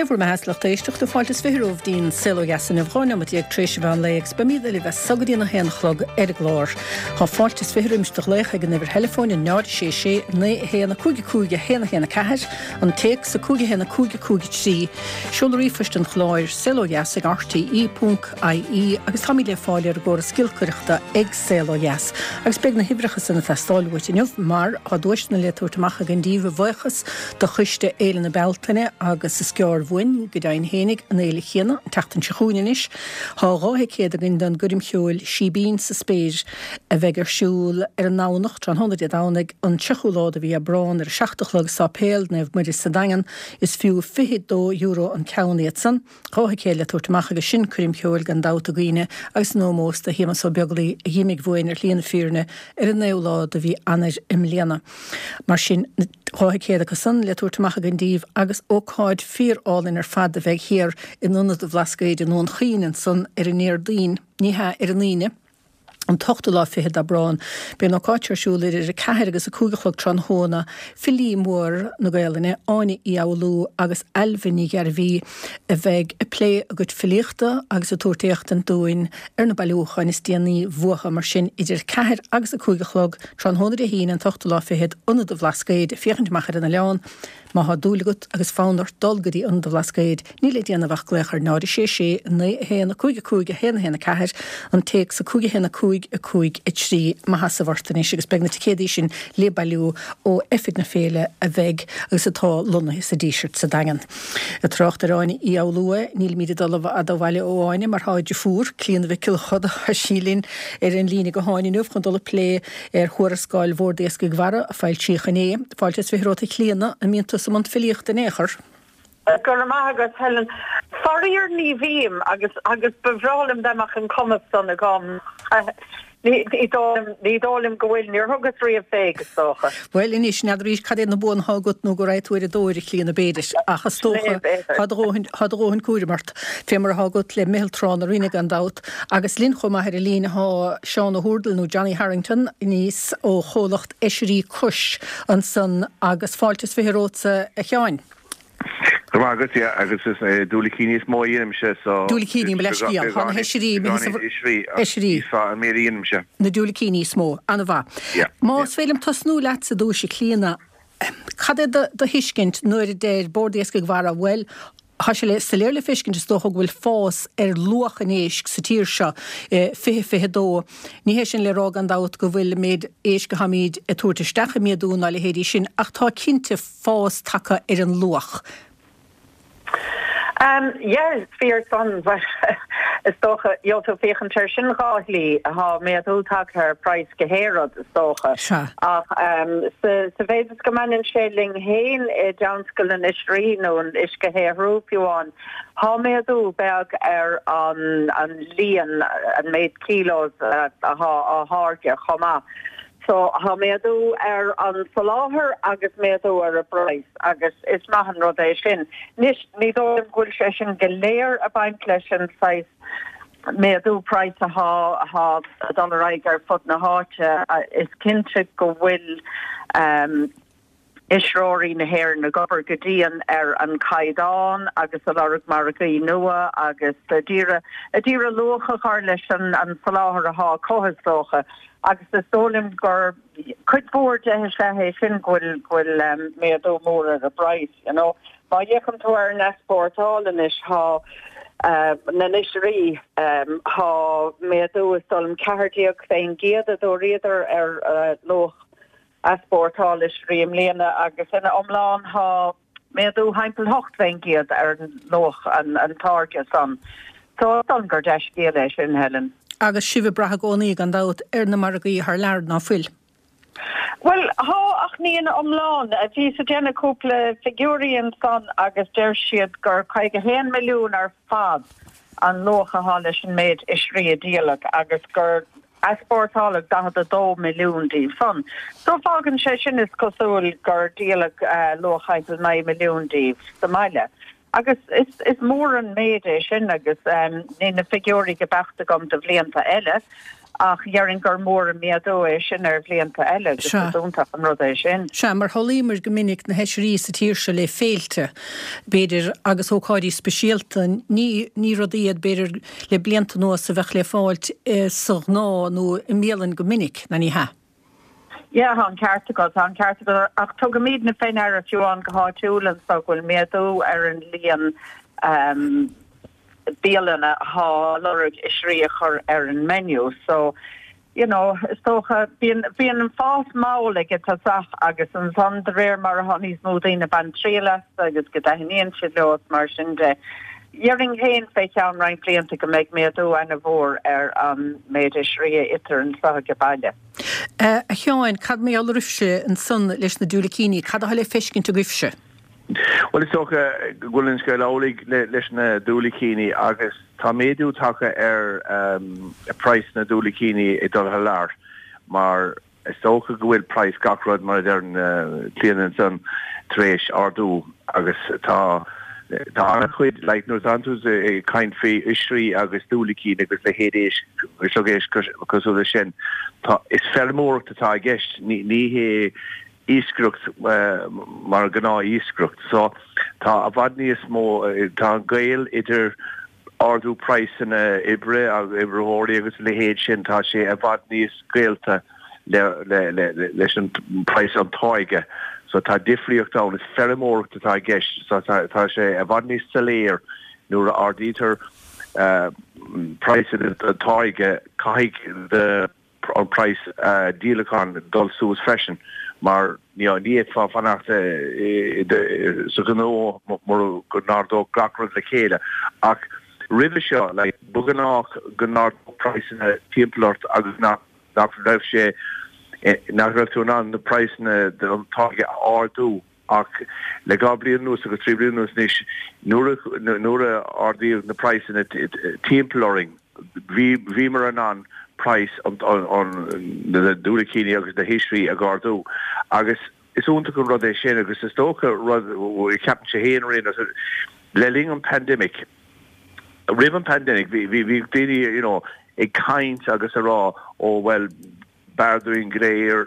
Dé bhur mbeatha a lucht éisteachta, fáilte is 20 romhaibh dtí'n Saol Ó Dheas inniu, 12 neomat tar éis an mheán lae agus beimíd libh as so go dtí'n 1 a chlog ar an gclár. Tá fáilte is 20 roimis do ghlaoch ag an uimhir theileafóin, 0 6 6 9 1 5 5 1 1 4, an téacs 5 1 5 5 3, seoladh ríomhphoist an chláir, saolodheas ag rte ponc ie agus táimid le fáil ar an gcóras giolcaireachta ag Saol Ó Dheas. Agus beidh na huimhreacha san ag teastáil uait inniu mar tá duaiseanna le tabhairt amach againn díbh a bhuíochas do Choiste Fhéile na Bealtaine agus is gearr uainn, go deimhin fhéinig, an fhéile chéanna, an tseachtain seo chugainn anois. Tá 2 thicéad againn don gcoirm cheoil Síbín sa Spéir a bheidh ar siúl ar an nDomhnach, tráthnóna Dé Domhnaigh, an 30ú lá de mhí Aibreán ar a 7 a chlog i Sáipéal Naomh Muire sa Daingean. Is fiú €22 an ceann iad san. 2 thicéad le tabhairt amach agus sin coirm cheoil gan dabht a dhaoine agus in ómós do Shéamus Ó Beaglaoi a dh'imigh uainn ar shlí na fírinne ar an 9ú lá de mhí Eanáir i mbliana. Mar sin, 2 thicéad acu san le tabhairt amach againn díbh agus ócáid fíor-álainn ar fad a bheidh thiar in Ionad an Bhlascaoid i nDún Chaoin ansan ar an nDéardaoin, ní hea, ar an Aoine, an t-ochtú lá fichead d'Aibreán. Beidh an ócáid seo ar siúl idir 4 agus 5 a chlog tráthnóna. Filí mór na Gaelainne, Áine Uí Fhoghlú agus Ailbhe Ní Ghairbhí a bheidh ag plé a gcuid filíochta agus ag tabhairt éachtaint dúinn ar na bailiúcháin is déanaí uathu. Mar sin, idir 4 agus 5 a chlog tráthnóna Dé hAoine an t-ochtú lá fichead, Ionad an Bhlascaoid, ag féachaint amach ar an oileán. Má thá dúil agat agus fonn ort dul go dtí Ionad an Bhlascaoid, níl le déanamh ach glaoch ar 0 6 6 9 1 5 5 1 1 4, an téacs 5 1 5 5 3. Maith as a bhfort anois agus beidh na ticéadaí sin le bailiú ó oifig na féile a bheidh agus atá lonnaithe sa Díseart sa Daingean. Ag trácht ar Áine Uí Fhoghlú, nílimíd ag dul i bhfad ó bhaile ó Áine mar thá a deirfiúr, Clíona Mhic Giolla Chuda, tá sí linn ar an líne gutháin inniu chun dul ag plé ar thuarascáil Bhord Iascaigh Mhara a foilsíodh inné. Fáilte is 20 romhat a Chlíona, an mbíonn tusa i mbun filíochta in aon chor? Go raibh maith agat Helen. Faraor ní bhím agus agus ba bhreá liom dá mbeadh an cumas san agam. Ní dóigh liom go bhfuil, níor thugas riamh fé, is dócha. Bhuel anois, n'fheadar arís cad iad na buanna atá agat nó go raghaidh tú ar an dtóir, a Chlíona, b'fhéidir, ach is dócha, tá do dhóthain, tá do dhóthain cúraim ort, fé mar atá agat le Meitheal Trá na Rinne gan dabht. Agus linn chomh maith ar an líne thá Seán Ó hÚrdail nó Johnny Harrington aníos ó chomhlacht Oisrí Cois ansan agus fáilte is 20 romhatsa a Sheáin. Go raibh maith agat, yeah, agus is diúilicíní is mó a dhéanaimse so. Diúilicíní, mo leithscéal. Tá na hoisrí imithe sa. Oisrí, oisrí. Is fearr an méid a dhéanaimse. Na diúilicíní is mó. An-mhaith. Yeah. Más féidir liom tosnú leatsa ar dtúis a Chlíona, cad é do thuiscint nuair a deir Bord Iascaigh Mhara, bhuel, Tá sé le soiléir le feiscint is dócha go bhfuil fás ar luach an éisc sa tír seo i 2022. Ní hé sin le rá gan dabht go bhfuil an méid éisc atáimíd ag tabhairt isteach ag méadú ná a leithéidí sin ach tá cinnte fás tagtha ar an luach. Yeah, is fíor san. Bhuel, is dócha, gheobhaidh tú féachaint air sin dhá shlí. Tá méadú tagtha ar praghas gach aon rud, is dócha. Sea. Ach sa mhéid is go mbaineann sé linn féin i dtionscal na n-oisrí nó an uisceshaothrú fiú amháin, tá méadú beag ar an líon, an méid kilos atá á tháirgeadh chomh maith. So tá méadú ar an soláthar agus méadú ar an bpraghas agus is maith an rud é sin. Anois, ní dóigh liom go bhfuil sé sin go léir ag baint leis an saghas méadú praghas atá atá ag dul ar aghaidh ar fud na háite. Is cinnte go bhfuil oisreoirí na hÉireann ag obair go dian ar an caighdeán agus ag lorg margaí nua agus ag iarraidh luach a chur leis an soláthar atá acu is dócha agus is dóigh liom gur cuid mhór de is ea é sin go bhfuil go bhfuil méadú mór ar an bpraghas you know. Má fhéachann tú ar an easpórtáil anois tá na n-oisrí tá méadú is dóigh liom 14% a dúradar ar luach easpórtáil oisrí i mbliana agus ina iomlán tá méadú thimpeall 8% ar luach an táirge san. So is dóigh liom gur dea-scéal é sin, Helen. Agus sibh ag brath i gcónaí, gan dabht, ar na margaí thar lear, ná fuil? Bhuel, thá, ach ní ina iomlán. Bhíos ag déanamh cúpla figiúirí ansan agus deir siad gur 51 milliún ar fad an luach athá leis an méid oisrí a díoladh agus gur easpórtáladh 42 milliún díobh san. So fágann sé sin, is cosúil, gur díoladh luach thimpeall 9 milliún díobh sa mbaile. Agus is mór an méid é sin agus níl na figiúirí go beacht agam do bhlianta eile. Ach dhéarfainn gur mór an méadú é sin ar bhlianta eile agus Sea. is iontach an rud é sin. Sea, mar shamhlaíomar go minic na hoisrí sa tír seo le féilte, b'fhéidir, agus ócáidí speisialta. Ní, ní rudaí iad, b'fhéidir, le blianta anuas a bheadh le fáilt sa ghnáth nó i mbialann go minic, ná ní hea? Yeah, tá an ceart agat, tá an ceart agat. Ach tugaimidne fé ndeara fiú amháin go háitiúil anso go bhfuil méadú ar an líon bialanna athá lorg oisrí a chur ar an menu. So, you know, is dócha, bíonn, bíonn an fás mall ag an tosach agus ansan de réir mar athá níos mó daoine ag baint triail astu agus go dtaithníonn siad leo is mar sin de. Dhéarfainn féin fé cheann roinnt blianta go mbeidh méadú ana-mhór ar an méid oisrí a itear anso age baile. A Sheáin, cad mar gheall oraibhse ansan leis na diúilicíní, cad atá le feiscint agaibhse? Bhuel, is dócha go bhfuil an scéal amhlaidh leis na diúilicíní agus tá méadú tagtha ar praghas na diúilicíní ag dul thar lear mar Is dócha go bhfuil praghas gach rud, mar a deireann Clíona ansan, tar éis ardú agus tá tá an-chuid, like nuair atánn tú ag caint faoi oisrí agus diúilicín agus leithéid éisc, sliogéisc cosúil leis sin, tá, is feirmeoireacht atá i gceist, ní ní hé iascaireacht mar gnáth-iascaireacht. So tá i bhfad níos mó, tá an gaol idir ardú praghsanna oibre agus oibritheoirí agus a leithéid sin, tá sé i bhfad níos gaolta leis an praghas an táirge. So tá difríocht ann, is feirmeoireacht atá i gceist so tá sé i bhfad níos soiléir nuair a ardaítear praghas an táirge, caithfidh do an praghas díolacháin dul suas freisin mar ní fhéadfá fanacht sa ghnó mura go n-ardódh gach rud le chéile. Ach roimhe seo, like, ba ghnách go n-ardódh praghsanna timpeall ort agus nach nach raibh sé nach raibh tú in ann na praghsanna don táirge a ardú. Ach le 2 bliain anuas agus 3 bliana anuas anois, nuair a nuair a ardaíodh na praghsanna timpeall orainn, bhí bhíomar in ann praghas an na diúilicíní agus na hoisrí a ardú. Agus is iontach an rud é sin agus is dócha rud ceapaimse féin ar aon nós, le linn an pandemic, roimh an pandemic bhí bhí bhí daoine you know ag caint agus ag rá ó bhuel, B'fhearr dúinn go léir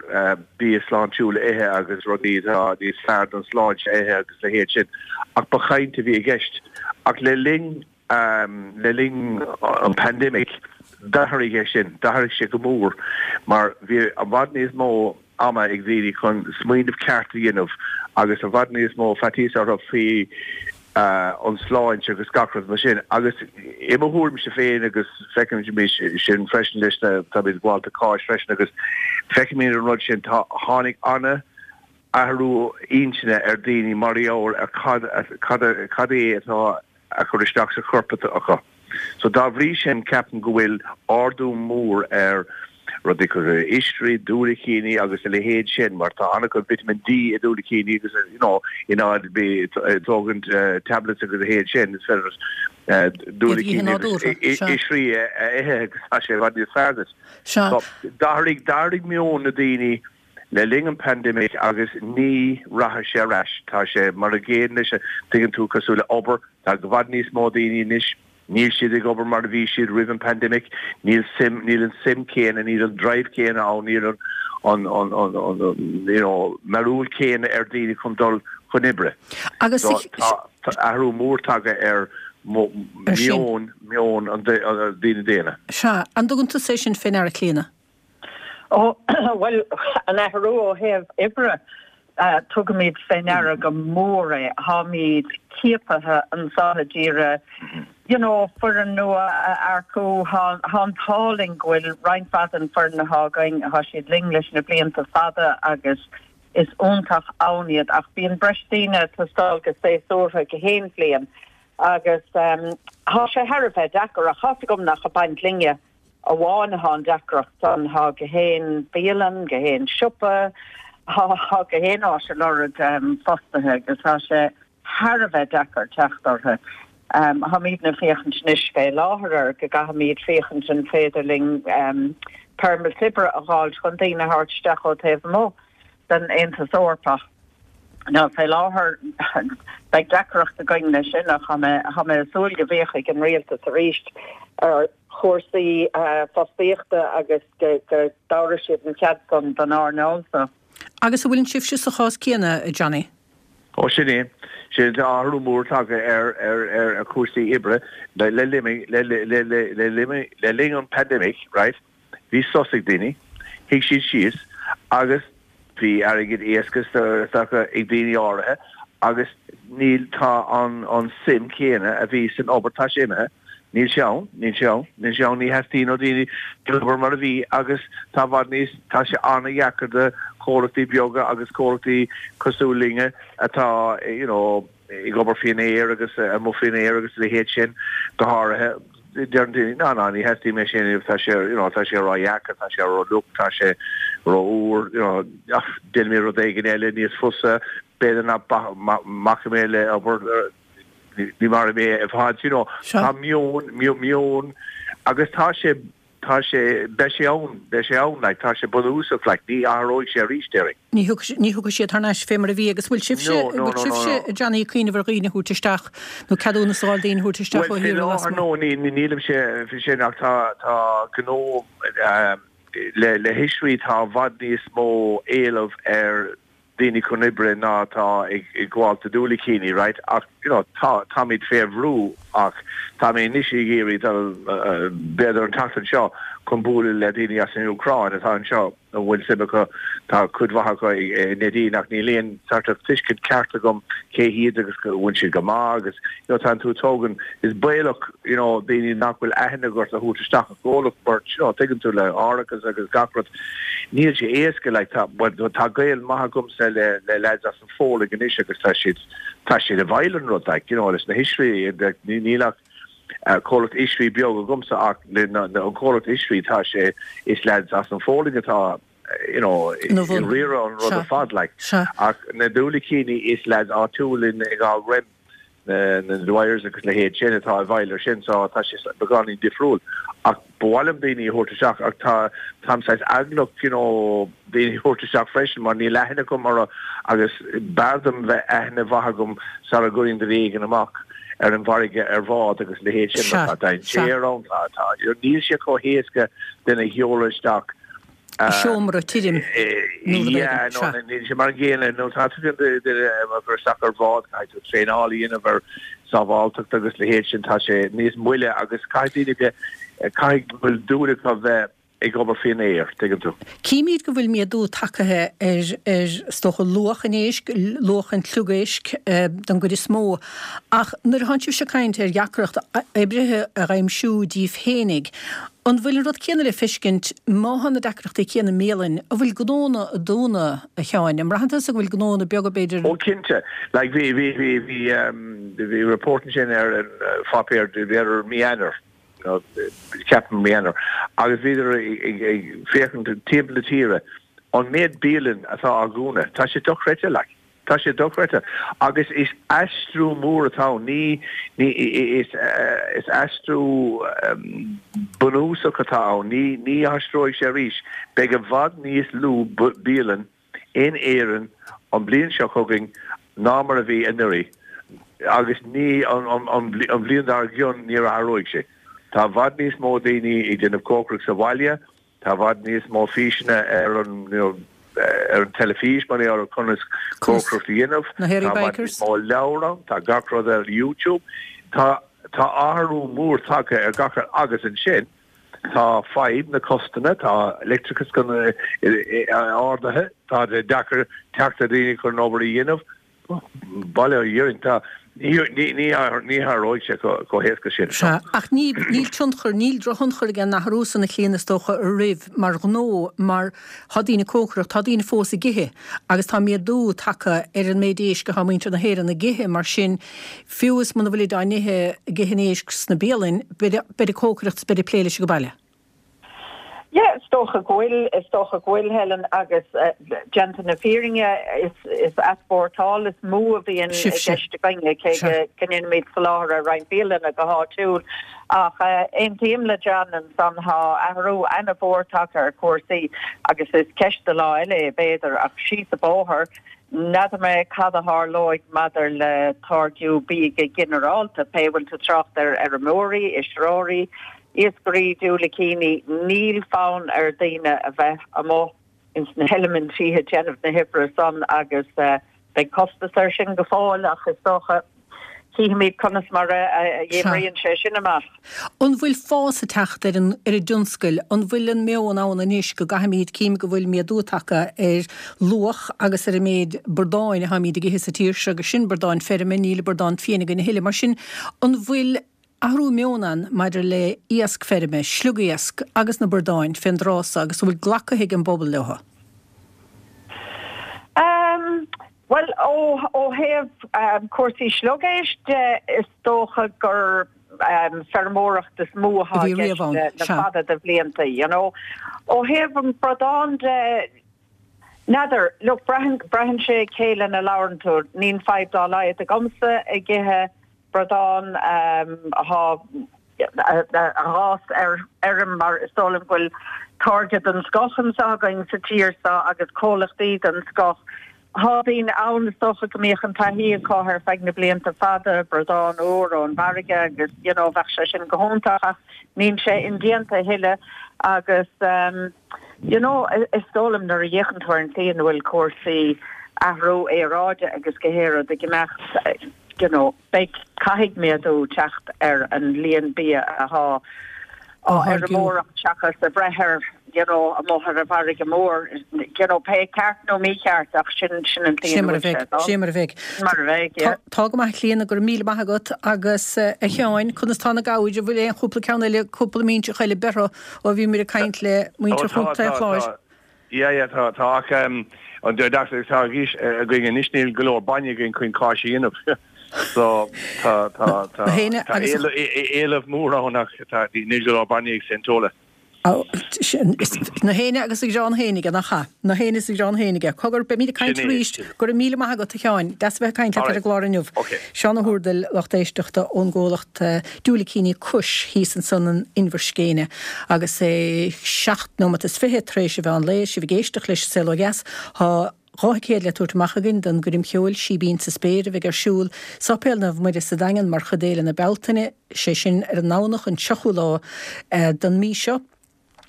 bia sláintiúil a ithe agus rudaí atá níos fearr don sláinte a ithe agus a leithéid sin, ach ba chaint a bhí i gceist. Ach le linn, le linn an pandemic, d'athraigh é sin, d'athraigh sé go mór mar bhí i bhfad níos mó ama ag daoine chun smaoineamh ceart a dhéanamh agus i bhfad níos mó faitíos orthu faoi an tsláinte agus gach rud mar sin. Agus i mo thuairimse féin, agus feicimid sin freisin leis na, táimid comhalta CÁIS freisin agus feicimid an rud sin, tá, tháinig ana athrú intinne ar daoine mar gheall ar cad, cad, cad é atá a chur isteach sa chorp acu. So dá bhrí sin ceapaim go bhfuil ardú mór ar rudaí cosúil le oisrí, diúilicíní agus a leithéid sin mar tá an-chuid vitamin D i diúilicíní agus you know in áit bheith ag tógaint tablets agus a leithéid sin is féidir diúilicíní agus oisrí a ithe agus tá sé i bhfad níos fearr duit. So d'athraigh, d'athraigh meon na daoine le linn an pandemic agus ní rachaidh sé ar ais. Tá sé mar an gcéanna leis, tuigeann tú, cosúil le obair, tá i bhfad níos mó daoine anois, níl siad ag obair mar a bhí siad roimh an pandemic, níl suim, níl an suim céanna, níl an drive céanna ann, níl an, an, an, an, an, you know, mearúil céanna ar daoine chun dul chun oibre. Agus So tá, tá athrú mór tagtha ar meon, meon an daoine daonna. Sea, an dtugann tusa é sin fé ndeara, Clíona? Ó, bhuel, an athrú ó thaobh oibre, tugaimid fé ndeara go mór é. Táimid ciapaithe anso a d'iarraidh, you know, foireann nua a earcú. Tá an t-ádh linn go bhfuil roinnt mhaith den foireann atá againn, tá siad linn leis na blianta fada agus is iontach ann iad. Ach bíonn breis daoine ag teastáil go séasúrtha go haon bhliain agus tá sé thar a bheith deacair ach tá's agam nach ag baint linne. amháin athá an deacracht san. Thá gach aon bialann, gach aon siopa, thá gach aon áit ag lorg fostaithe agus thá sé thar a bheith deacair teacht orthu. Tháimídne ag féachaint anois fé láthair ar go gcaithfimíd féachaint an féidir linn permits oibre a dh'fháilt chun daoine a thabhairt isteach ó taobh amuigh den Aontas Eorpach. Now fé láthair beidh deacracht againn leis sin ach thá mé, thá mé ag súil go bhféachfaidh an rialtas arís ar. chúrsaí fostaíochta agus go dtabharfaidh siad an cead san don earnáil so. Agus an bhfuileann sibhse sa chás céanna, a Johnny? Ó sin é. Sin tá athrú mór tagtha ar ar chúrsaí oibre le le le le le le linn an pandemic, right? Bhí sos ag daoine, shuigh siad síos agus bhí airgead éasca ag daoine áirithe agus níl, tá an an suim chéanna a bhí san obair, tá sé imithe, níl sé ann, níl sé ann, níl sé ann, ní theastaíonn ó daoine obair mar a bhí agus tá i bhfad níos, tá sé an-dheacair do chomhlachtaí beaga agus comhlachtaí cosúil linne atá you know ag obair faoin aer agus amuigh faoin aer agus a leithéid sin go háirithe. Deireann daoine, ná, ná, ní theastaíonn mé sin, tá sé, you know, tá sé ró-dheacair, tá sé ró-fhliuch, tá sé ró-fhuar, you know, ach déanfaidh mé rud éigin eile níos fusa, b'fhéidir nach mbacfaidh mé le obair, ní mairfidh mé i bhfad, you know, tá meon, meon, agus tá sé, Tá sé, beidh sé ann, beidh sé ann, like, tá sé bunúsach, like, ní athróidh sé arís, déarfainn. Ní thiocfaidh, ní thiocfaidh siad thar n-ais fé mar a bhí agus bhfuil sibhse, No, no, bhfuil no, no, sibhse, no. a Johnny, ag cuimhneamh ar dhaoine a thabhairt isteach nó ceadúnas a fháil daoine a thabhairt isteach Bhuel, ó faoi thíortha láthair, lasmuigh? no, ní, ní, nílimse faoi sin ach tá, tá gnó, le, le hoisrí tá i bhfad níos mó éileamh ar daoine chun oibre ná atá ag gabháil do diúilicíní, right? Ach, you know, tá, táimid fé bhrú ach tá mé anois ag iarraidh dul, b'fhéidir an tseachtain seo, chun bualadh le daoine as an Úcráin atá anseo a bhfuil suim acu, tá cuid mhaith acu i Neidín ach níl aon sort of tuiscint ceart agam cé hiad agus go bhfuil siad go maith agus, you know, tánn tú ag tógaint, is baolach, you know, daoine nach bhfuil aithne agat a thabhairt isteach i gcomhlacht mar, you know, tuigeann tú le árachas agus gach rud. Níl sé éasca, like, tá, but tá gaol maith agamsa le, le lads as an Phólainn anois agus tá siad, tá siad i bhfeighil an rud, like, you know, leis na hoisrí, like, ní, níl ach comhlacht oisrí beag agamsa ach le na, na, an comhlacht oisrí tá sé, is lads as an Phólainn atá, you know, Ina ag bhun. riaradh an rud Sea. ar fad, like. Sea. Ach na diúilicíní is lads áitiúil in, i nGabhal Roim. na Dwyers agus a leithéid sin atá i bhfeighil ar sin so tá sé beagáinín difriúil ach ba mhaith liom daoine a thabhairt isteach ach tá táim saghas eaglach you know daoine a thabhairt isteach freisin mar níl aithne agam orthu agus b'fhearr dom bheith aithne mhaith agam sara gcuirfinn duine éigin amach ar an bhfarraige ar bhád agus a leithéid sin mar tá dainséar ann tá tá níl sé chomh héasca duine a sheoladh isteach i seomra tirim nó rud Yeah, éigin. no, Sea. níl sé mar an gcéanna. Nó tá tú duine a chur isteach ar bhád, caithfidh tú traenáil a dhéanamh ar sábháilteacht agus a leithéid sin. Tá sé níos moille agus caithfidh daoine bheith, caithfidh go bhfuil dúil acu bheith ag obair faoin aer, tuigeann tú. Címid go bhfuil méadú tagtha ar, ar, is dócha, luach an éisc, luach an tsliogéisc don gcuid is mó. Ach nuair a thánn sibhse ag caint ar dheacracht oibrithe a dh'aimsiú díbh fhéinig, An bhfuil an rud céanna le feiscint má thá na deacrachtaí céanna i mbialainn, an bhfuil gnónna ag dúnadh, a Sheáin? An mbraitheann tusa go bhfuil gnónna beaga b'fhéidir. Ó cinnte. Like bhí bhí bhí bhí ehm bhí report ansin ar an pháipéar b'fhéidir mí Eanáir you know ceapaim mí Eanáir agus bhíodar ag ag féachaint timpeall na tíre an méid bialann atá á dhúnadh tá sé dochreidte like. Tá sé dochreidte. Agus is aistriú mór atá ann. Ní, ní, is, is aistriú bunúsach atá ann. Ní, ní aistreoidh sé arís. Beidh i bhfad níos lú bialann in Éirinn an bhliain seo chugainn ná mar a bhí anuraidh. Agus ní, an, an, an bhliain dár gcionn níor athróidh sé. Tá i bhfad níos mó daoine ag déanamh cócaireacht sa bhaile. Tá i bhfad níos mó físeanna ar an ar an teilifís mar gheall ar conas cócaireacht a dhéanamh. Na Hairy Tá i bhfad Bikers. níos mó leabhar ann, tá gach rud ar YouTube. Tá tá athrú mór tagtha ar gach rud agus ansin tá fadhb na costanna, tá leictreachas ardaithe, tá sé deacair teacht ar daoine chun an obair a dhéanamh. Bail ó Dhia orainn, tá, ní athróidh sé chomh héasca sin. Sea, ach ní, níl tionchar, níl drochthionchar ag an athrú san a Chlíona is dócha oraibh mar ghnó mar tá daoine ag cócaireacht, tá daoine fós ag ithe agus tá méadú tagtha ar an méid éisc atá muintir na hÉireann ag ithe mar sin fiú is muna bhfuilid á n-ithe, ag ithe an éisc sna bialainn, beid, beid ag cócaireacht is beid ag plé leis ag baile. Yeah, is dócha go bhfuil, is dócha go bhfuil, Helen, agus déanta na fírinne, is is easpórtáil is mó a bhíonn i gceist againne, cé go go ndéanaimid soláthar ar roinnt bialanna go háitiúil. Ach aontaím le John ansan, tá athrú ana-mhór tagtha ar chúrsaí agus is ceist do lá eile é b'fhéidir, ach síos an bóthar, n'fheadar mé cad a tharlóidh maidir le táirgiú bídh go ginearálta, pé bhfuil tú ag trácht ar fheirmeoirí, oisreoirí. Iascairí diúilicíní, níl fonn ar daoine a bheith amuigh ins na heilimintí ag déanamh na hoibre san agus beidh costas air sin go fóill ach is dócha cífimid conas mar a dh'oibríonn sé sin amach. An bhfuil fás ag teacht ar an ar an dtionscal? An bhfuil an meon ann anois go gcaithfimid, cím go bhfuil méadú tagtha ar luach agus ar an méid bradáin atáimid ag ithe sa tír seo agus sin bradáin feirme, níl bradán fiáin againn a thuilleadh. Mar sin, an bhfuil athrú meoin ann maidir le iasc feirme, sliogiasc agus na bradáin fén dtráth so agus an bhfuil glactha ag an bpobal leo? Bhuel, ó thaobh cúrsaí sliogéisc de, is dócha gur feirmeoireacht is mó atá i gceist le fada de bhlianta, you know. Ó thaobh an bradán de, n'fheadar, look, braitheann sé cé lena labhrann tú. Níl fadhb dá laghad agamsa ag ithe bradán atá a dh'fhás ar fheirm mar is dóigh liom go bhfuil táirge den scoth anseo againn sa tír seo agus comhlachtaí den scoth. Tá daoine ann is dócha go mbíodh an taithí acu ar feadh na blianta fada, bradán úr ón bhfarraige agus you know bheadh sé sin go hiontach ach níl sé indéanta a thuilleadh agus you know is dóigh liom nuair a fhéachann tú ar an tslí ina bhfuil cúrsaí athrú aeráide agus gach rud ag imeacht you know, beidh, caithfidh méadú teacht ar an líon bia athá á fheirmeoireacht seachas a bhreith ar, you know, amuigh ar an bhfarraige mhór, you know, pé ceart nó mícheart ach sin, sin an tslí ina bhfuil sé ag dul. Sin mar a bheidh. Sin mar a bheidh, yeah. Tá go maith a Chlíona, go raibh míle maith agat agus a Sheáin, conas tá na gabhair, an bhfuil aon chúpla ceann eile, cúpla minseach eile beirthe ó bhíomar ag caint le muintir Chontae an Chláir? Yeah, yeah, tá, tá, ach an deacracht atá againn anois, níl go leor bainne againn chun cáis a dhéanamh. So, tá, tá, tá, tá éileamh mór ann ach tá, níl go leor bainne ag St. Tola. Na héinne agus a ghrán féin aige, nach ea? Na héinne is a ghrán féin aige. Cogar, beimid ag caint arís. Go raibh míle maith agat, a Sheáin. Deas a bheith ag caint leat ar an gclár inniu. Seán Ó hÚrdail, lucht éisteachta ón gcomhlacht Diúilicíní Cush thíos ansan in Inbhir Scéine agus é 7 nóimeat is 20 tar éis an mheán lae. Sibh ag éisteacht leis an Saol Ó Dheas. Tá 2 thicéad le tabhairt amach againn don gcoirm cheoil Síbín sa Spéir a bheidh ar siúl i Sáipéal Naomh Muire sa Daingean mar chuid d'Fhéile na Bealtaine, sé sin ar an nDomhnach an 3ú lá den mí seo.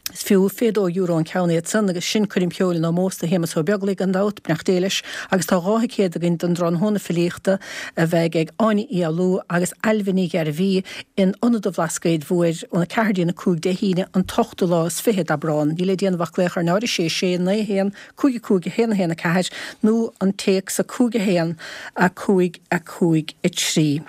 Is fiú €22 an ceann iad san agus sin coirm cheoil in ómós do Shéamus Ó Beaglaoich gan dabht, beannacht Dé leis, agus tá 2 thicéad againn don dtráthnóna filíochta a bheidh ag Áine Uí Fhoghlú agus Ailbhe Ní Ghairbhí in Ionad an Bhlascaoid Mhóir óna 4 dtí'n 5 Dé hAoine an t-ochtú lá is fiche d'Aibreán. Níl le déanamh ach glaoch ar 0 6 6 9 1 5 5 1 1 4 nó an téacs 5 1 5 5 3.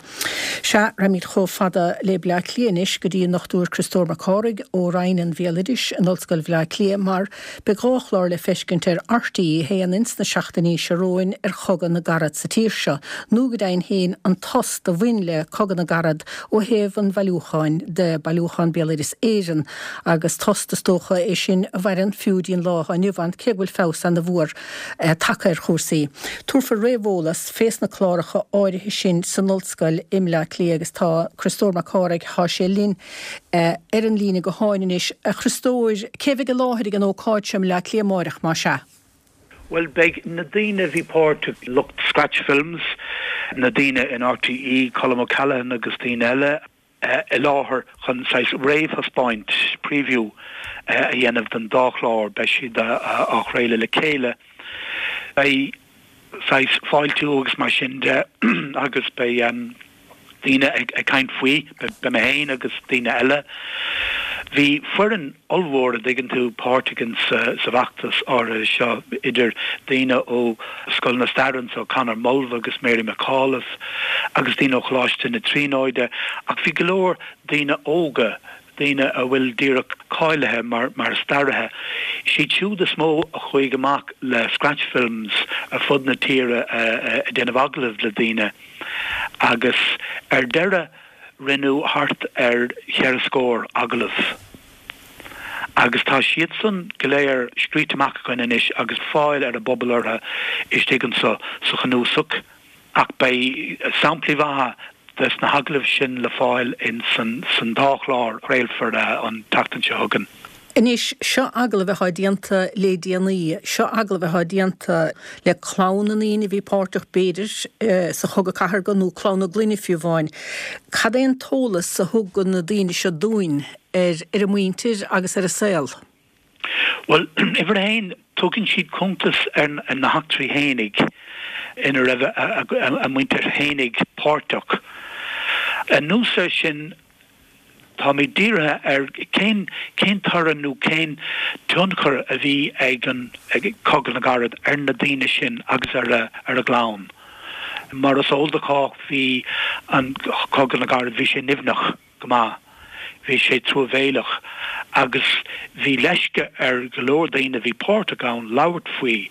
Sea, raghaimid chomh fada le Bleá Cliath anois go dtí an Dr Criostóir Mac Cárthaigh ó Roinn an Bhéaloidis in Ollscoil Bhleá Cliath mar beidh 2 chlár le feiscint ar RTÉ 1 ins na seachtainí seo romhainn ar Chogadh na gCarad sa tír seo, nó go deimhin féin an tost a bhain le Cogadh na gCarad ó thaobh an bhailiúcháin de, Bailiúchán Béaloideas Éireann, agus tost is dócha é sin a mhaireann fiú dtí'n lá atá inniu ann cé go bhfuil feabhas ana-mhór tagtha ar chúrsaí. Tabharfar réamheolas fés na cláracha áirithe sin san ollscoil i mBleá Cliath agus tá Criostóir Mac Cárthaigh, tá sé linn ar an líne gutháin anois. A Chriostóir, cé bheidh i láthair ag an ócáid seo i mBleá Cliath amáireach, más ea? Bhuel, beidh na daoine a bhí páirteach, lucht Scratch Films, na daoine in RTÉ, Colm O'Callaghan agus daoine eile, i láthair chun saghas réamhthaispeáint, preview, a dhéanamh don dá chlár. Beidh siad á chraoladh le chéile. Beidh saghas fáiltiú agus mar sin de agus beidh daoine ag caint faoi, beidh mé féin agus daoine eile. Bhí foireann ollmhór, a dtuigeann tú, páirteach in sa bhfeachtas áirithe seo, idir daoine ó Scoil na Staire anseo, Conor Mulvagh agus Mary McAuliffe, agus daoine ó Choláiste na Tríonóide, ach bhí go leor daoine óga, daoine a bhfuil díreach cáilithe mar mar staraithe, siad siúd is mó a chuaigh amach le Scratch Films ar fud na tíre ag déanamh agallamh le daoine agus ar deireadh rinneadh thart ar cheithre scór agallamh agus tá siadsan go léir scríte amach againn anois agus fáil ar an bpobal orthu istigh anso sa chnuasach ach beidh samplaí mhaithe des na hagallaimh sin le fáil in san dá chlár a chraolfar an tseachtain seo chugainn. Anois, seo agallaimh atá déanta le déanaí, seo agallaimh atá déanta le clann na ndaoine a bhí páirteach, b'fhéidir, sa Chogadh Cathartha nó clann na gclainne fiú amháin. Cad é an t-eolas a thug na daoine seo dúinn? ar ar a muintir agus ar a saol? Bhuel, uimhir a haon, tugann siad cuntas ar na heachtraí fhéinig ina raibh a muintir fhéinig páirteach. Anuas air sin, táimid dírithe ar cén cén toradh nó cén tionchar a bhí ag an ag Cogadh na gCarad ar na daoine sin agus ar a ar a gclann. Mar is eol do chách, bhí an Cogadh na gCarad, bhí sé nimhneach. go maith. Bhí sé truamhéileach agus bhí leisce ar go leor daoine a bhí páirteach ann labhairt faoi,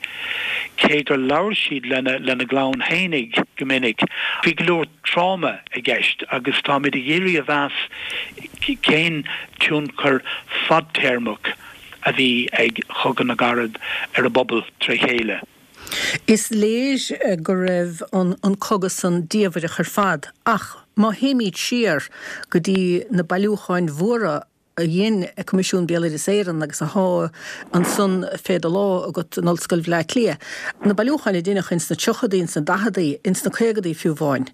cé gur labhair siad lena lena gclann fhéinig go minic. Bhí go leor tráma i gceist agus táimid ag iarraidh a mheas cén tionchar fadtéarmach a bhí ag Cogadh na gCarad ar an bpobal tré chéile. Is léir go raibh an cogadh san diamhaireach ar fad, ach má théimid siar go dtí na bailiúcháin mhóra a dhein Coimisiún Béaloideas Éireann agus athá ansan fé do lámh agat in Ollscoil Bhleá Cliath, na bailiúcháin a deineadh ins na tríochadaí, ins na daicheadaí, ins na caogadaí fiú amháin,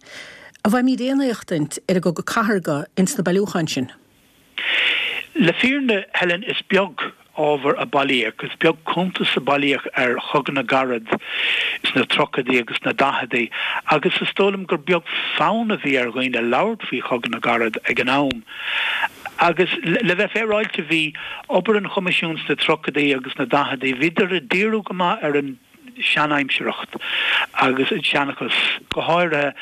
an bhfaighimid aon éachtaint ar an gCogadh Cathartha ins na bailiúcháin sin? Le fírinne, Helen, is beag ábhar a bailíodh, is beag cuntas a bailíodh ar Chogadh na gCarad sna tríochaidí agus sna daicheadaí agus is dóigh liom gur beag fonn a bhí ar dhaoine labhairt faoi Chogadh na gCarad ag an am. Agus le bheith féaráilte, bhí obair an Choimisiúin sna tríochaidí agus sna daicheadaí, bhíodar ag díriú go maith ar an. seanaimsireacht agus an seanchas, go háirithe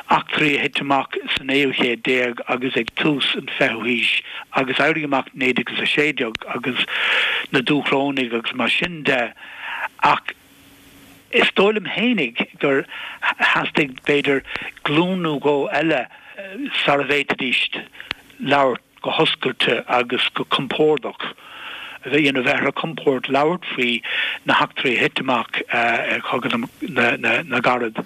eachtraí a thit amach sa naoú chéad déag agus ag tús an fichiú haois agus Éirí Amach 1916 agus na Dúchrónaigh agus mar sin de ach is dóigh liom fhéinig gur theastaigh b'fhéidir glúin nó dhó eile sara bhféadfaidís labhairt go hoscailte agus go compordach, you know, bheith ar a gcompord labhairt faoi na heachtraí a thit amach i Cogadh na gCarad.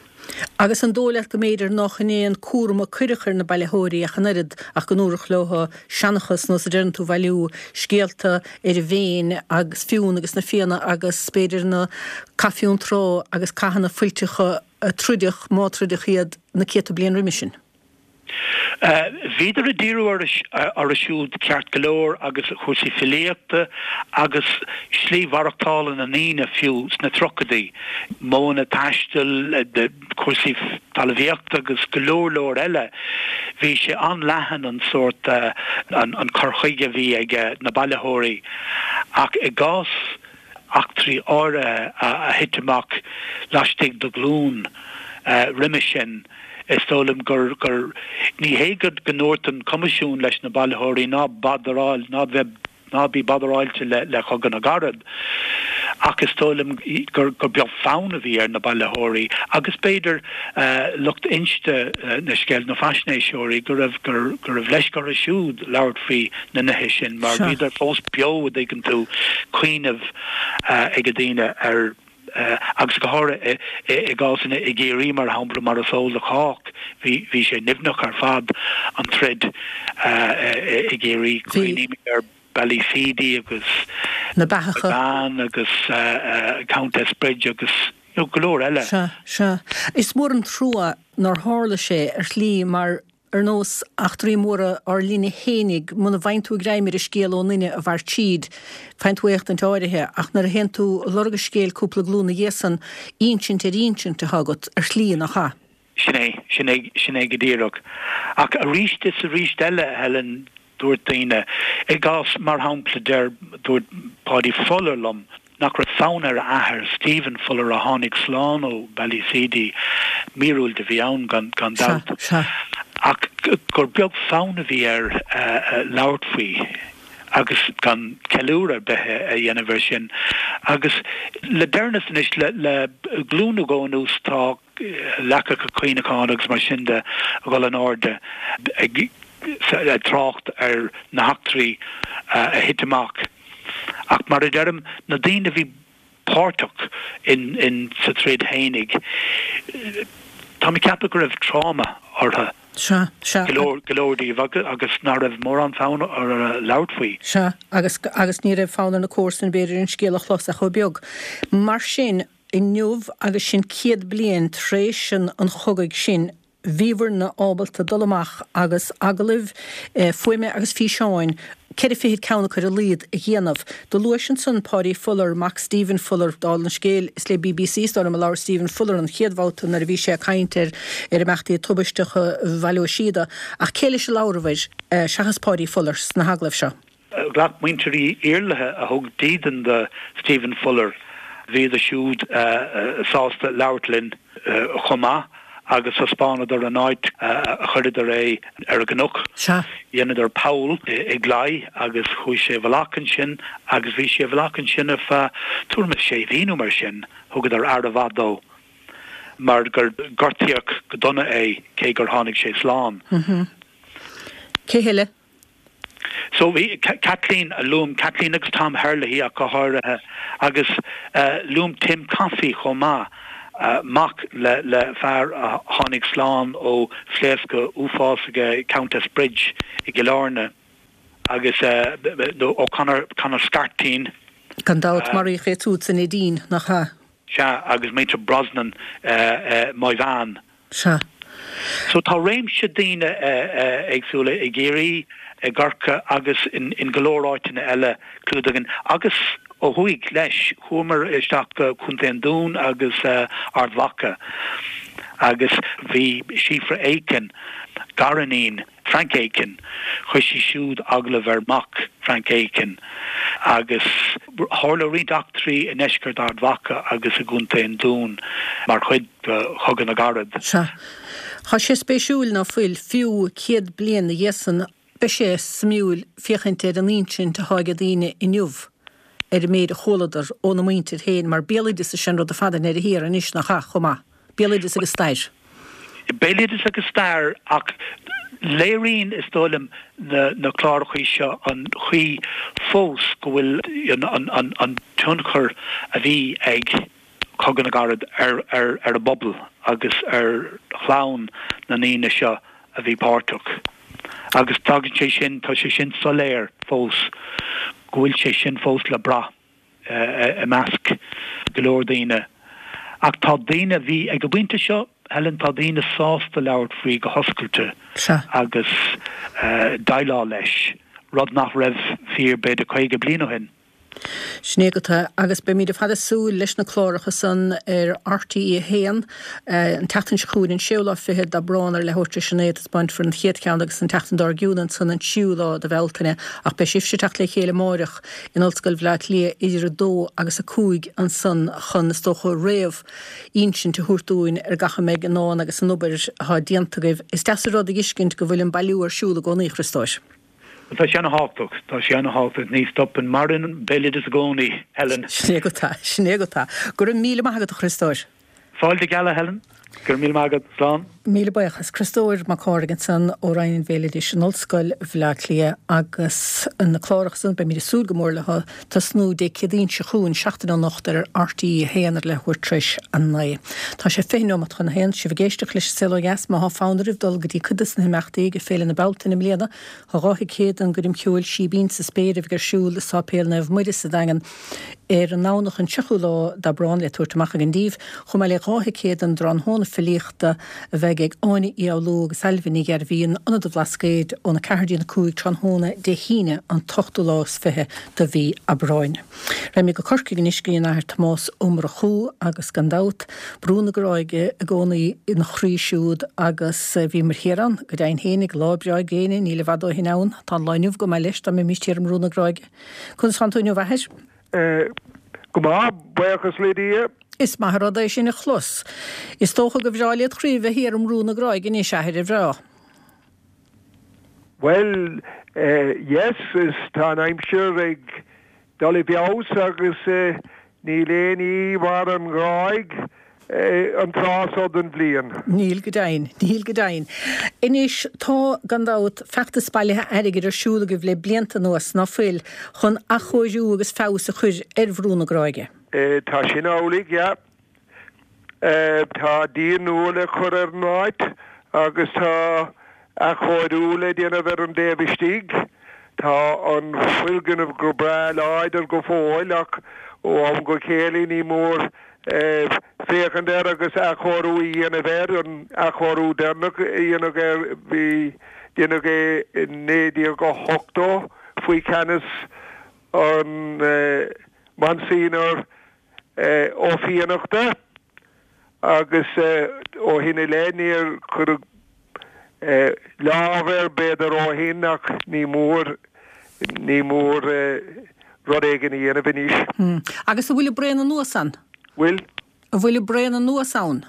Agus an dóigh leat go mb'fhéidir nách in é an cúram a cuireadh ar na bailitheoirí ach an oiread ach go ndúradh leo seanchas, nós a deireann tú, bhailiú scéalta ar an bhFéinn agus Fionn agus na Fianna agus b'fhéidir na Cath Fionntrá agus cathanna fuilteacha a troideadh, má troideadh iad, na céadta bliain roimhe sin? Bhíodar ag díriú orthu siúd ceart go leor agus chúrsaí filíochta agus slí mhaireachtála na ndaoine fiú sna tríochaidí, modhanna taistil, cúrsaí talmhaíochta agus go leor leor eile. Bhí sé an-leathan an sórt, an cur chuige a bhí ag na bailitheoirí ach i gcás eachtraí áirithe a thit amach laistigh de ghlúin roimhe sin. Is dóigh liom gur, gur, ní hé go ndúirt an Coimisiún leis na bailitheoirí ná badaráil, ná bheith, ná bí badaráilte le, le Cogadh na gCarad, ach is dóigh liom gur, gur beag fonn a bhí ar na bailitheoirí agus b'fhéidir lucht inste na scéalta, na faisnéiseoirí, go raibh, gur, go raibh leisce orthu siúd labhairt faoi na nithe sin mar bhíodar fós beo, a dtuigeann tú, cuimhneamh ag daoine ar. agus go háirithe i gcásanna i gCiarraí, mar shampla, mar is eol do chách, bhí sé nimhneach ar fad, an troid i gCiarraí. Cuimhnímid ar Ballyseedy agus Na Beathacha. Bean agus Countess Bridge agus go leor eile. Sea, sea. Is mór an trua nár tharla sé, ar shlí, mar Ar nós eachtraí móra ár linne fhéinig, muna bhfaigheann tú greim ar an scéal ón nduine a mhair tríd, faigheann tú éachtaint áirithe, ach nuair a théann tú ag lorg an scéil cúpla glúin ina dhiaidh san, insint ar insint atá agat, ar shlí, nach ea? Sin é, sin é, sin é go díreach. Ach arís is arís eile, a Helen, Dúirt daoine, i gcás, mar shampla, deir, dúirt Paudie Fuller liom nach raibh fonn ar a athair, Stephen Fuller, a tháinig slán ó Ballyseedy, míorúilt a bhí ann gan dabht, ach gur beag fonn a bhí air labhairt faoi agus gan ceiliúradh ar bith a dhéanamh air sin. Agus le deireanas anois, le glúin nó dhó anuas, tá. leacacha cuimhneacháin agus mar sin de a dhul in airde ag trácht ar na heachtraí a thit amach. Ach mar a deirim, na daoine a bhí páirteach in sa troid fhéinig, tá mé ag ceapadh go raibh tráma orthu, Sea, sea. go leor, go leor díobh agus nach raibh mórán fonn orthu labhairt faoi. Sea, agus, agus ní raibh fonn ar na comharsana b'fhéidir an scéal a chlos ach chomh beag. Mar sin, inniu agus sinn 100 bliain tar éis an chogaidh sin. Bhíobhairne ábalta dul amach agus agallaimh fuaime agus físeáin, ceithre fichid ceann acu ar a laghad, a dhéanamh. Do luais ansan Páidí Fuller, mac Stephen Fuller, dála an scéil, is le bbc is dóigh liom a labhair Stephen Fuller an chéad bhabhta nuair a bhí sé ag caint ar ar imeachtaí tubaisteacha Bhaile Ó Síoda. Ach cé leis a labhrabhair, seachas Páidí Fuller, sna hagallaimh seo? Ghlac muintir Uí Iarlaithe, a thug dídean do Stephen Fuller, bhíodar siúd sásta labhairt linn chomh maith agus thaispeánadar an áit a chuireadar é ar an gcnoc. Dheineadar poll i gclaí agus chuaigh sé i bhfolach ansin agus bhí sé i bhfolach ansin ar feadh tuairim is sé mhí nó mar sin. Thugadar aire mhaith dó mar gur gortaíodh go dona é cé gur tháinig sé slán. Cé heile? So bhí Kathleen, luaim Kathleen agus Tom Herlihy ach go háirithe, agus luaim Tim Coffey chomh maith, mac le le fear a tháinig slán ó phléascadh uafásach ag Countess Bridge i gCill Airne, agus O'Connor, Conor Scarteen. Gan dabht, maraíodh é siúd sa Neidín, nach ea? Sea, agus muintir Brosnan, Maigh Mheáin. Sea. So tá réimse daoine éagsúla i gCiarraí, i gCorcaigh agus in go leor áiteanna eile clúdaithe againn. Agus ó thuaidh leis, chuamar isteach go Contae an Dúin agus Ard Mhacha agus bhí Síofra Aiken, gariníon Frank Aiken, chuir sí siúd agallamh ar mhac Frank Aiken agus tharla roinnt eachtraí i ndeisceart Ard Mhacha agus i gContae an Dúin mar chuid de Chogadh na gCarad. Sea. Tá sé spéisiúil ná fuil, fiú 100 bliain 'na dhiaidh san, beidh sé suimiúil féachaint ar an insint atá ag daoine inniu ar an méid a chualadar óna muintir féin, mar béaloideas is ea an rud ar fad i ndeireadh thiar anois, nach ea, chomh maith? Béaloideas agus stair. Béaloideas agus stair, ach léiríonn, is dóigh liom, na clárachaí seo an chaoi fós go bhfuil an tionchar a bhí ag Cogadh na gCarad ar an bpobal agus ar chlann na ndaoine seo a bhí páirteach. Agus tagann sé sin, tá sé sin soiléir fós, go bhfuil sé sin fós le brath. i measc go leor daoine. Ach tá daoine, bhí, ag an bpointe seo, Helen, tá daoine sásta labhairt faoi go hoscailte agus déileáil leis, rud nach raibh fíor b'fhéidir 50 bliain ó shin. Sin é agat é. Agus beimid ar fad ag súil leis na cláracha san ar RTÉ 1 an tseachtain seo chugainn, an séú lá fichead d'Aibreán ar leathuair tar éis a naoi a taispeáinfear an chéad cheann agus an tseachtain dár gcionn ansan an tríú lá de Bhealtaine. Ach beidh sibhse ag teacht le chéile amáireach in Ollscoil Bhaile Átha Cliath idir 2 agus 5 ansan chun, is dócha, réamh-insint a thabhairt dúinn ar gach a mbeidh i ndán agus an obair atá déanta agaibh. Is deas an rud a dh'fheiscint go bhfuil an bailiú ar siúl i gcónaí, a Chriostóir. Bhuel, tá sé ana-thábhachtach. Tá sé ana-thábhachtach. Ní stopann. Maireann béaloideas i gcónaí, Helen. Sin é agat é. Sin é agat é. Go raibh míle maith agat, a Chriostóir. Fáilte geal, a Helen. Go raibh míle maith agat. Slán. Míle buíochas. Criostóir Mac Cárthaigh ansan ó Roinn an Bhéaloidis in Ollscoil Bhaile Átha Cliath agus na cláracha san, beimid ag súil go mór leo tosnú Dé Céadaoin seo chugainn, seachtain ó anocht ar RTÉ 1 ar leathuair tar éis a 9. Tá sé 20 neomat chun a haon. Sibh ag éisteacht leis An Saol Ó Dheas. Má thá fonn oraibh dul go dtí cuid de na himeachtaí ag Féile na Bealtaine i mbliana, Tá 2 thicéad don gcoirm cheoil Síbín sa Spéir a bheidh ar siúl i Sáipéal Naomh Muire sa Daingean ar an nDomhnach an 30ú lá d'Aibreán le tabhairt amach againn daoibh, chomh maith le 2 thicéad don dtráthnóna filíochta a bheidh ag Áine Uí Fhoghlú agus Ailbhe Ní Ghairbhí in Ionad an Bhlascaoid óna 4 dtí'n 5 tráthnóna Dé hAoine an t-ochtú lá is fiche de mhí Aibreáin. Raghaimid go Corcaigh anois go dtí an Athair Tomás Ó Murchú agus gan dabht, Brú na Gráige i gcónaí ina chroí siúd agus bhíomar thiar ann, go deimhin fhéinig, lá breá gréine níl i bhfad ó shin ann. Tá an lá inniu go maith leis dá mbeimis thiar i mBrú na Gráige. Conas tánn tú inniu, a Athair? Go maith, buíochas le Dia. Is maith an rud é sin a chlos. Is dócha gur bhreá led chroí a bheith thiar i mBrú na Gráige anois, a Athair, ar bhreá? Bhuel, yes, is tá an aimsir ag dul i bhfeabhas agus níl aon ní mar an Ghráig an tráth so den bhliain. Níl go deimhin, níl go deimhin. Anois, tá, gan dabht, feachtas bailithe airgid ar siúl agaibh le blianta anuas, ná fuil, chun athchóiriú agus feabhas a chur ar Bhrú na Gráige? Tá sin amhlaidh, yeah. Tá díon nua le cur ar an áit agus tá athchóiriú le déanamh ar an dtaobh istigh. Tá an foirgneamh go breá láidir go fóill ach ó am go chéile ní mór féachaint. féachaint air agus athchóiriú a dhéanamh air, an athchóiriú deireanach a dhéanamh air, bhí, déanadh é i 1980 faoi cheannas an Monsignor Ó Fiannachta agus ó shin i leith níor cuireadh lámh air b'fhéidir ó shin ach ní mór, ní mór rud éigin a dhéanamh anois. Agus an bhfuil ag braon anuas ann? Bhfuil? An bhfuil ag braon anuas ann?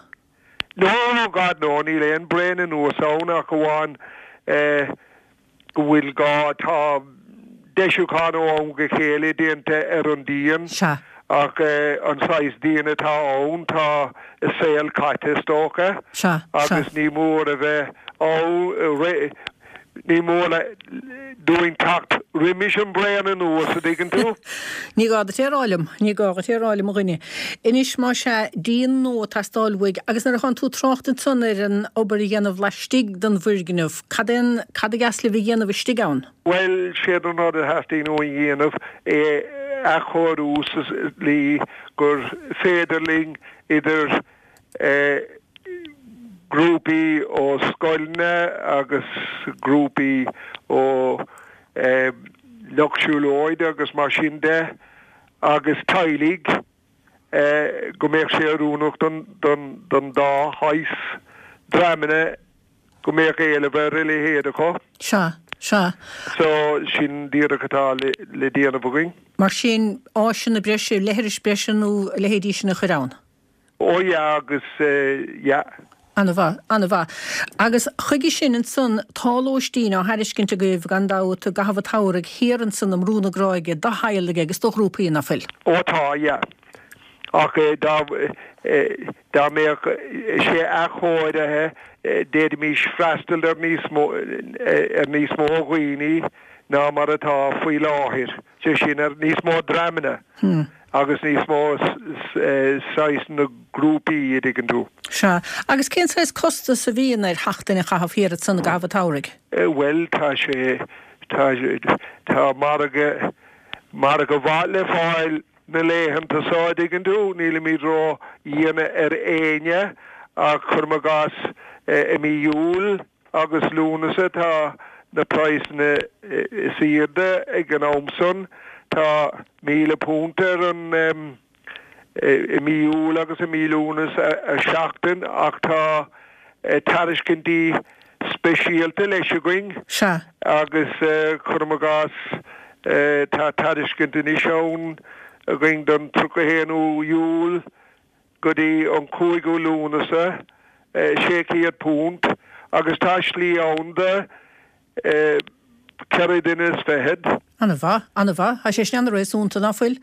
No, God no, níl aon braon anuas ann ach amháin go bhfuil gá, tá deisiúchán ó am go chéile déanta ar an díon Sea. ach an saghas díon atá ann, tá a saol caite is dócha Sea, sea. agus ní mór a bheith ann, Ní mór dúinn teacht roimis an braon anuas, a dtuigeann tú. Ní gá duit é a rá liom, ní gá dhuit é a rá liom, a dhuine. Anois, más ea, díon nua ag teastáil uaidh, agus nuair atánn tú ag trácht ansan ar an obair a dhéanamh laistigh den bhfoirgneamh, cad é an, cad a gheas libh a dhéanamh istigh ann? Bhuel, séard an rud a theastaíonn uainn a dhéanamh, é a athchóiriú sa tslí gur féidir linn idir grúpaí ó scoileanna agus grúpaí ó lucht siúlóide agus mar sin de agus teaghlaigh go mbeadh sé oiriúnach don dá shaghas dreamanna go mbeadh éileamh ar a leithéid acu. Sea, sea. So, sin díreach atá le déanamh againn. Mar sin, áiseanna breise, leithris breise nó a leithéidí sin a chur ann? Ó yeah agus yeah. Ana-mhaith, ana-mhaith. Agus chuige sin ansan tá lóistín á thairiscint agaibh gan dabht i gcaitheamh an tsamhraidh thiar ansan i mBrú na Gráige do theaghlaigh agus do ghrúpaí, ná fuil? Ó tá, yeah. Ach dá, dá mbeadh sé athchóirithe d'fhéadfaimis freastal ar níos mó, ar níos mó dhaoine ná mar atá faoi láthair, sé sin ar níos mó dreamanna. Agus níos mó saghas na grúpaí, a dtuigeann tú. Sea. Agus cén saghas costas a bhíonn ar sheachtain a chaitheamh thiar ansan i gcaitheamh an tsamhraidh? Bhuel, tá sé, tá, tá margadh, margadh mhaith le fáil na laethanta seo, a dtuigeann tú. Nílimid ró-dhian ar éinne ach cuirim i gcás i mí Iúil, agus Lúnasa tá na praghsanna is airde ag an am san. Tá £1,000 ar an i mí Iúil agus i mí Lúnasa ar seachtain ach tá tairiscintí speisialta leis againn Sea. agus cuirim i gcás tá tairiscint anois ann againn don 31 ú Iúil go dtí an 5ú Lúnasa, £600, agus tá slí ann do cheithre duine is fichead. Ana-mhaith, ana-mhaith. Tá sé sin ana-réasúnta, ná fuil?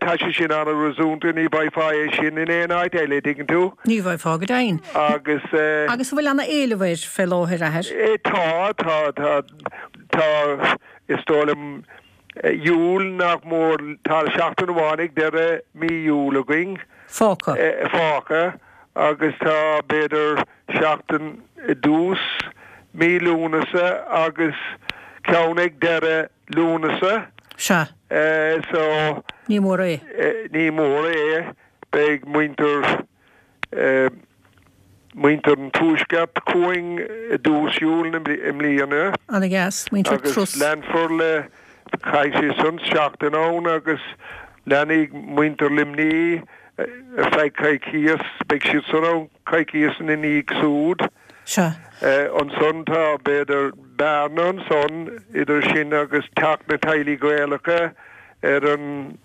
Tá sé sin ana-réasúnta, ní bhfaighfeá é sin in aon áit eile, dtuigeann tú. Ní bhfaighfeá, go deimhin. Agus. Agus an bhfuil ana-éileamh air fé láthair, a athair? Tá, tá, tá, tá, is dóigh liom, Iúil nach mór, tá seachtain amháin ag deireadh mí Iúil againn. Fágtha. Fágtha agus tá b'fhéidir seachtain i dtús mí Lúnasa agus ceann ag deireadh Lúnasa. Sea. So. Ní mór é. Ní mór é. Beidh muintir. Muintir an Tuaisceart chugainn i dtús Iúil i mbliana. Ana-dheas. Muintir Agus leanfar le, caithfidh siad san seachtain ann agus leanfaidh muintir Luimnigh ar feadh coicíos, beidh siad san ann coicíos ina ndiaidh súd. Sea. Ansan tá b'fhéidir bearna ansan idir sin agus teacht na teaghlaigh Gaelacha ar an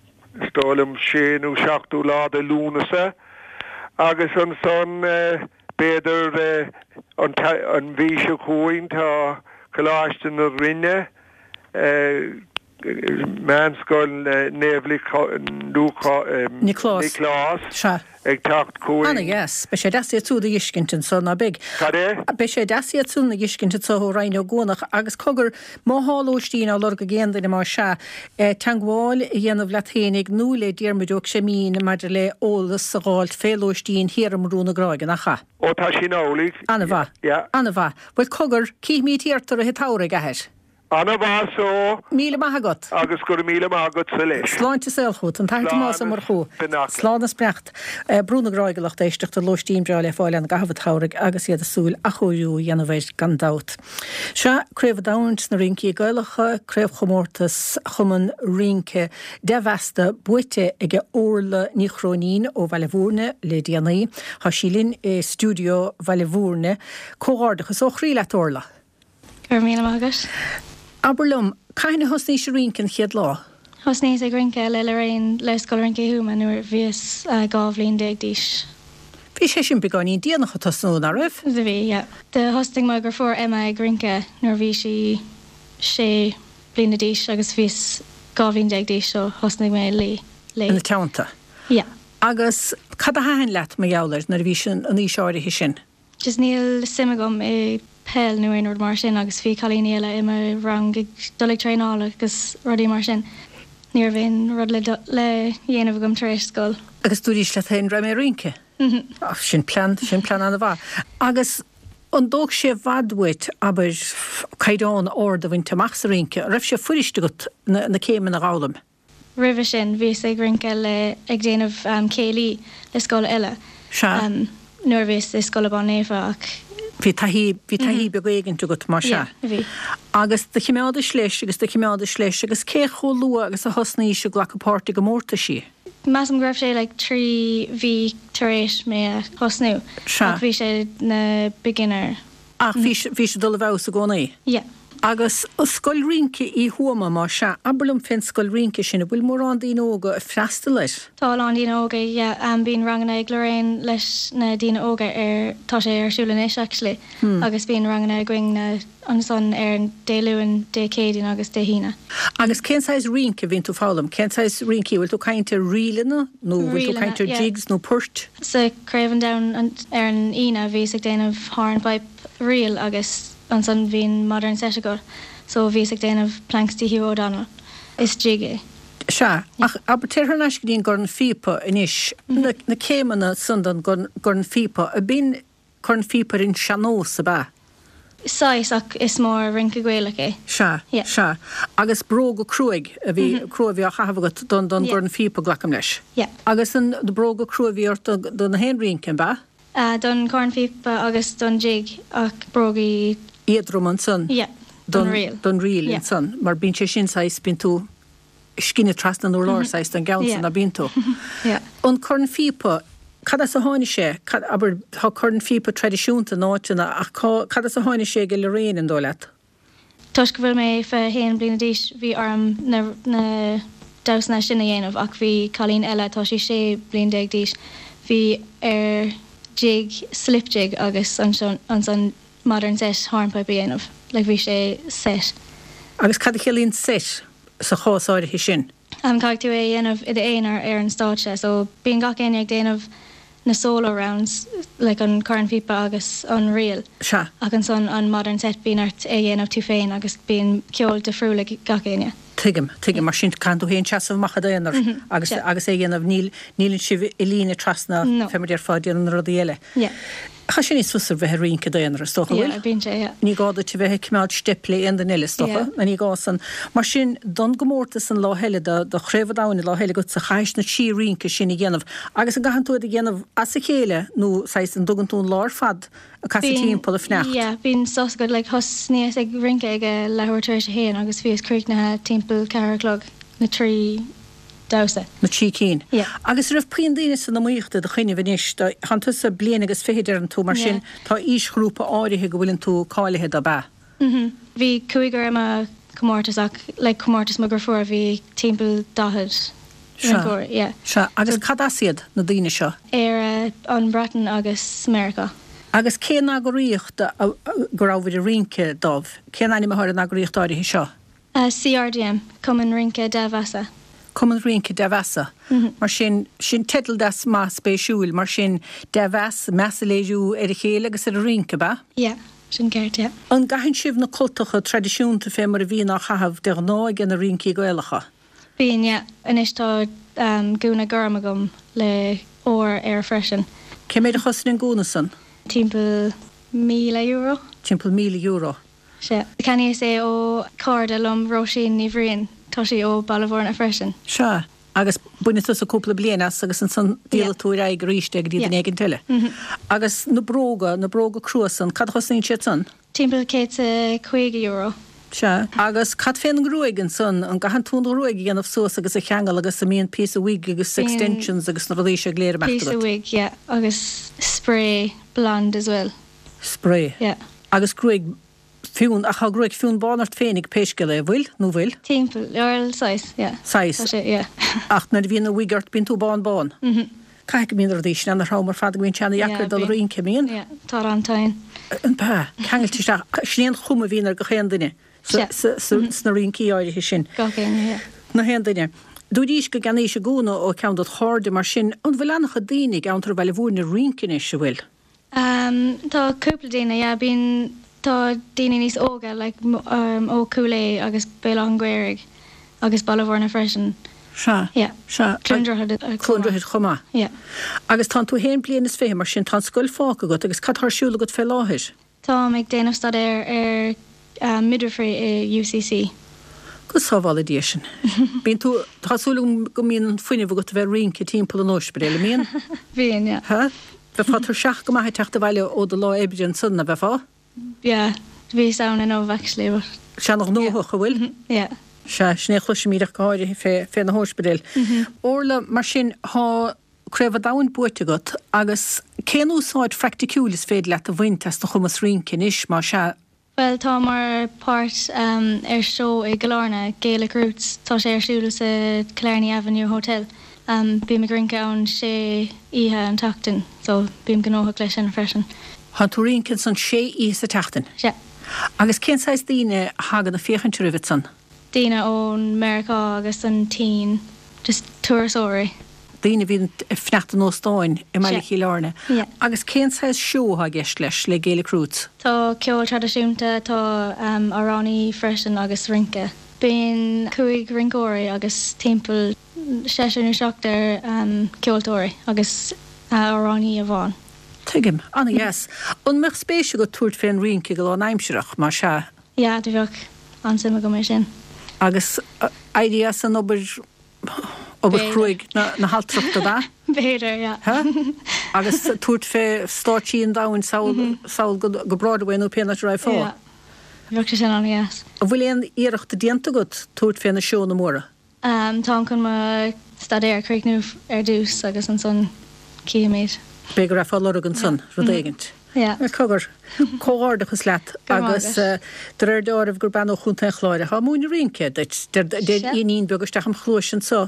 is dóigh liom, sé nó seachtú lá de Lúnasa agus ansan b'fhéidir an mhí seo chugainn tá Coláiste na Rinne, Meánscoil Naomh Nioclás ag teacht chugainn. Ana-dheas. Beidh sé deas iad súd a dh'fheiscint anso, ná beidh? Cad é? Beidh sé deas iad san a dh'fheiscint anso ó Rinn Ó gCuanach agus cogar, má thá lóistín á lorg ag aon duine más ea, teangmháil a dhéanamh leat fhéinig nó le Diarmuid Ó Creimín maidir le eolas a dh'fháilt fé lóistín thiar i mBrú na Gráige, nach ea? Ó tá sin amhlaidh. Ana-mhaith. Yeah. Ana-mhaith. Bhuel cogar, cífimid thiar tú i rith an tsamhraidh, a athair. Ana mhaith so. Míle maith agat. Agus go raibh míle maith agatsa leis. Sláinte is saol chugat. An tAthair Tomás Ó Murchú. Beannacht. Slán is beannacht. Brú na Gráige lucht éisteachta, lóistín breá le fáil ann i gcaitheamh an tsamhraidh agus iad ag súil athchóiriú a dhéanamh air gan dabht. Sea, Craobh an Domhain sna Rincí Gaelacha, Craobhchomórtas Chumann Rince Dea-Mheasta buaite ag Orla Ní Chróinín ó Bhaile Bhúirne le déanaí. Tá sí linn i stiúideo Bhaile Bhúirne. Comhghairdeachas ó chroí leat Orla! Go raibh míle maith agat. Abair liom, cathain a thosnaís ag rince an chéad lá? Thosnaíos ag rince le Lorraine le Scoil Rince Thuama nuair a bhíos 12 bhliain d'aois. Bhí sé sin beagáinín déanach ag tosnú, nach raibh? Do bhí, yeah. Do thosnaigh mo dheirfiúr Emma ag rince nuair a bhí sí 6 bliana d'aois agus bhíos 12 bhliain d'aois so thosnaigh mé léi. Ina teannta? Yeah. Agus cad a thaitin leat mar gheall air nuair a bhís an aois áirithe sin? Just níl suim agam i peil nó aon rud mar sin agus bhí cailíní eile i mo rang ag dul ag traenáil agus rudaí mar sin. Ní raibh aon rud le le dhéanamh agam tar éis scoil. Agus dúraís leat féin raghaidh mé ag rince? Mhm. Sin plean, sin plean an-mhaith. Agus an dtóg sé i bhfad uait, abair, caighdeán ard a bhaint amach sa rince? An raibh sé fuirist agat na na céimeanna a dh'fhoghlaim? Roimhe sin bhíos ag rince le, ag déanamh céilí le scoil eile. Sea. Nuair a bhíos i Scoil Abán Naofa ach. Bhí taithí, bhí taithí beag éigint agat mar sea. Yeah, bhí. Agus do chimeádais leis agus do chimeádais leis agus cé chomh luath agus a thosnaís ag glacadh páirt i gcomórtaisí? Measaim go raibh sé like 3 mhí tar éis mé a thosnú. Sea. Ach bhí sé na beginner. Ach bhí, bhí sé ag dul i bhfeabhas i gcónaí. Yeah. Agus scoil rince í Thuama, más sea, abair liom fén scoil rince sin, an bhfuil mórán daoine óga ag freastal air? Tá a lán daoine óga, yeah. Bíonn ranganna ag Lorraine leis na daoine óga ar, tá sé ar siúl anois actually, agus bíonn ranganna againn na, ansan ar Dé Luain, Dé Céadaoin agus Dé hAoine. Agus cén saghas rince a bhíonn tú ag foghlaim? Cén saghas rincí? Bhfuil tú ag caint ar ríleanna nó bhfuil tú ag caint ar jigs nó poirt? Sa Craobh an Domhain ar an Aoine bhíos ag déanamh hornpipe ríl agus ansan bhíonn modern set acu so bhíos ag déanamh Planxty Hugh O'Donnell. Is jig é. Sea, ach abair, téir thar n-ais go dtí an gcorn phíopa anois, na céimeanna san don gcorn phíopa, ab in corn phíopa ar an sean-nós, ab ea? Saghas, ach is mór rince Gaelach é. Sea, Yeah. sea. Agus bróga cruaidh a bhí, Mhm. crua a bhí á chaitheamh agat don, don Yeah. gcorn phíopa, glacaim leis. Yeah. Agus an bróga crua a bhí ort do, do na haon rince, ab ea? Ah, don chorn phíopa agus don jig ach brógaí. Éadrom ansan. Yeah, don ríl. Don ríl Yeah. ansan, mar bíonn sé sin saghas, bíonn tú ag scinneadh trasna an urláir saghas don gceann san, Yeah. ná bíonn tú? Yeah. An corn phíopa, cad as a tháinig sé? Cad, abair, tá corn phíopa traidisiúnta in áiteanna ach cá, cad as a tháinig sé ag Lorraine, an dóigh leat? Toisc go bhfuil mé 21 bliana d'aois bhí orm na na damhsanna sin a dhéanamh ach bhí cailín eile, tá sí 16 bliain d'aois, bhí air jig, slip jig agus ansan ansan modern set hornpipe a dhéanamh, like bhí sé set. Agus cad a chiallaíonn set sa chás áirithe sin? Caithfidh tú é a dhéanamh i d'aonar ar an stáitse so bíonn gach éinne ag déanamh na solo rounds like an corn phíopa agus an ríl Sea. ach ansan an modern set bíonn ort é a dhéanamh tú féin agus bíonn ceol difriúil ag gach éinne. Tuigim, tuigim. Mar sin caitheann tú féin seasamh amach i d'aonar agus Sea. agus é a dhéanamh. Níl, níleann sibh i líne trasna No. fé mar déarfá ag déanamh na rudaí eile. Yeah. Tá sé níos fusa bheith ag rince i d'aonar, is dócha, Yeah, bhfuil? bíonn sé, yeah. Ní gá duit a bheith ag coimeád steip le aon duine eile, is dócha, Yeah. nó ní gá san. Mar sin, don gcomórtas an lá eile, do, do Chraobh an Domhain an lá eile agatsa, chaithfeas na trí rince sin a dhéanamh. Agus an gcaitheann tú iad a dhéanamh as a chéile nó, saghas, an dtugann tú an lá ar fad ag casadh Bíonn, timpeall ag fanacht? yeah, bíonn sos agat, like, thosnaíos ag rince ag a leathuair tar éis a haon agus bhíos críochnaithe timpeall ceathair a chlog, na trí damhsa. Na trí cinn. Yeah. Agus an raibh puinn daoine san iomaíocht i do choinnibh anois? Tánn tusa bliain agus fichid deireann tú, mar sin Yeah. tá aoisghrúpa áirithe go bhfuileann tú cáilithe do, ab ea? Mhm. Bhí cúigear i mo chomórtas ach like comórtas mo dheirfiúr bhí timpeall 40 Sea. rinceoir, yeah. Sea. Agus cad as iad, na daoine seo? Éire, an Bhreatain agus Meiriceá. Agus cén eagraíocht go rabhabhair ag rince dóibh? Cén ainm atá ar an eagraíocht áirithe seo? CRDM, Cumann Rince Dea-Mheasa. Cumann Rince Dea-Mheasa. Mar sin, sin teideal deas maith spéisiúil. Mar sin, dea-mheas, meas a léiriú ar a chéile agus ar an rince, ab ea? Yeah, sin ceart, yeah. An gcaitheann sibh na cultacha traidisiúnta fé mar a bhíonn á chaitheamh de ghnáth ag na rincí Gaelacha? Bíonn, yeah. Anois tá gúna gorm agam le ór air freisin. Cé méid a chosain an gúna san? Timpeall €1,000. Timpeall €1,000. Sea. Cheannaíos é ó chairde liom, Róisín Ní Bhriain, tá sí ó Baile Mhúirne freisin. Sea. Agus bainfidh tusa cúpla bliain as agus ansan díolfaidh tú ar aghaidh arís é go dtí duine éigint eile. Agus na bróga, na bróga crua san, cad a chosnaíonn siad san? Timpeall €150. Sea. Agus cad fén ngruaig ansan, an gcaitheann tú an ghruaig a dhéanamh suas agus a cheangal agus an mbíonn píosa wig agus extensions agus na rudaí seo go léir ag imeacht agat? Píosa wig, yeah, agus spray blonde as well. Spray. Yeah. Agus gruaig fionn, ach tá gruaig fionn bán ort féinig pé scéal é, an bhfuil, nó bhfuil? Timpeall, bhuel, saghas, yeah. Saghas. Tá sé, yeah. Ach nuair a bhíonn an wig ort bíonn tú bán bán. Mhm. Caithfidh go mbíonn na rudaí sin ana-throm ar fad go mbíonn sé ana-dheacair dul ag rince, an mbíonn? Yeah, tá an-tinn. An b'ea? Ceangailte isteach, sin é an chuma a bhíonn ar gach aon duine sna rincí áirithe sin. Gach éinne, yeah. Na haon duine. Dúraís go gceannaís an gúna ó cheann dod chairde mar sin, an bhfuil an-chuid daoine i gceantar Bhaile Mhúirne ag rince anois, an bhfuil? Tá cúpla daoine, yeah, bíonn, tá daoine níos óga like ó Chúil Aodha agus Béal Átha an Ghaorthaidh agus Baile Mhúirne freisin. Sea, Yeah. sea. Cluain Droichead chomh Cluain Droichead chomh maith. Yeah. Agus tánn tú fhéin bliain is 20 mar sin tá an scoil fágtha agat agus cad tá ar siúl agat fé láthair? Táim ag déanamh staidéir ar midwifery i UCC. Go sábhála Dia sinn. Bíonn tú, tá súil agam go mbíonn an fuinneamh agat a bheith ag rince timpeall an óispidéil, an mbíonn? Bíonn, yeah. Ha? Bheifeá tuirseach go maith ag teacht abhaile ó do lá oibre ansan, ná beifeá? Yeah, bhíos ann inniu actually but. Sé ana-ghnóthach, an bhfuil? Yeah. Sea, sin é a chloisimíd ach go háirithe fé, fé na hóispidéil. Orla, mar sin, thá Craobh an Domhain buaite agat agus cén úsáid phraicticiúil is féidir leat a bhaint as do chumas rince anois, más ea? Bhuel, tá mar páirt ar seó i gCill Airne, Gaelic Roots, tá sé ar siúl sa Killarney Avenue Hotel. Bím ag rince ann sé oíche an tseachtain, so bím gnóthach leis sin freisin. Tá tú ag rince ansan sé oíche sa tseachtain? Sea. Agus cén saghas daoine a thagann ag féachaint oraibh ansan? Daoine ón Meiriceá agus an tSín, just turasóirí. Daoine a bhíonn ag fanacht in óstáin i mbaile Chill Airne. Agus cén saghas seó atá i gceist leis, le Gaelic Roots? Tá ceol traidisiúnta, tá amhránaí freisin agus rince. Bíonn 5 rinceoirí agus timpeall seisear nó seachtar ceoltóirí agus amhránaí amháin. Tuigim. An-dheas. An mbeadh spéis agat tabhairt fén rince go lánaimsearach, más ea? Yeah, do bheadh an-suim agam é sin. Agus éirí as an obair, obair chruaidh na haltrachta, ab ea? B'fhéidir, yeah. Ha? Agus tabhairt fé stáitsí an domhain sall, sall go, go Broadway nó pé áit a raghfá. Yeah. Bheadh sé sin an-dheas. An bhfuil aon iarracht déanta agat tabhairt fé na seónna móra? Táim chun mo staidéar a chríochnú ar dtús agus ansan cífimid. B'fhéidir go raghfá ag lorg ansan rud éigint. Yeah. Bhuel, cogar. Comhghairdeachas leat agus de réir deáraimh gur bean ó Chontae an Chláir atá ag múineadh rince duit. Deir iníon beag isteach im chluais anso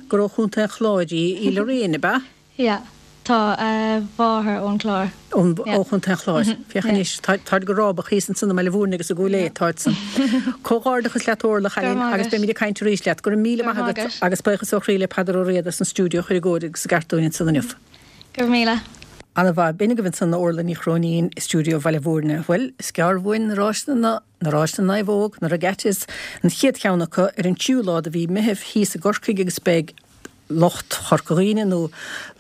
gur ó Chontae an Chláir í, í Lorraine, ab ea? Yeah. Tá a mháthair ón Chlár. Ón, ó Chontae an Chláir. Féach anois, tá, táid go rábach thíos ansan i mBaile Mhúirne agus i gCúil Aodha, táid san. Comhghairdeachas leat Orla, a chailín, agus beimid ag caint arís leat. Go raibh míle maith agat agus buíochas ó chroí le Peadar Ó Riada as an stiúideo a chur i gcóir agus i gceart dúinn ansan inniu. Go raibh míle. Ana mhaith. B'in agaibh ansan Orla Ní Chróinín i stiúideo Bhaile Mhúirne. Bhuel, is gearr uainn na ráiseanna na, na ráiseanna naomhóg, na regattas, an chéad cheann acu ar an tríú lá de mhí Meithimh thíos i gCorcaigh agus beidh lucht Chorca Dhuibhne nó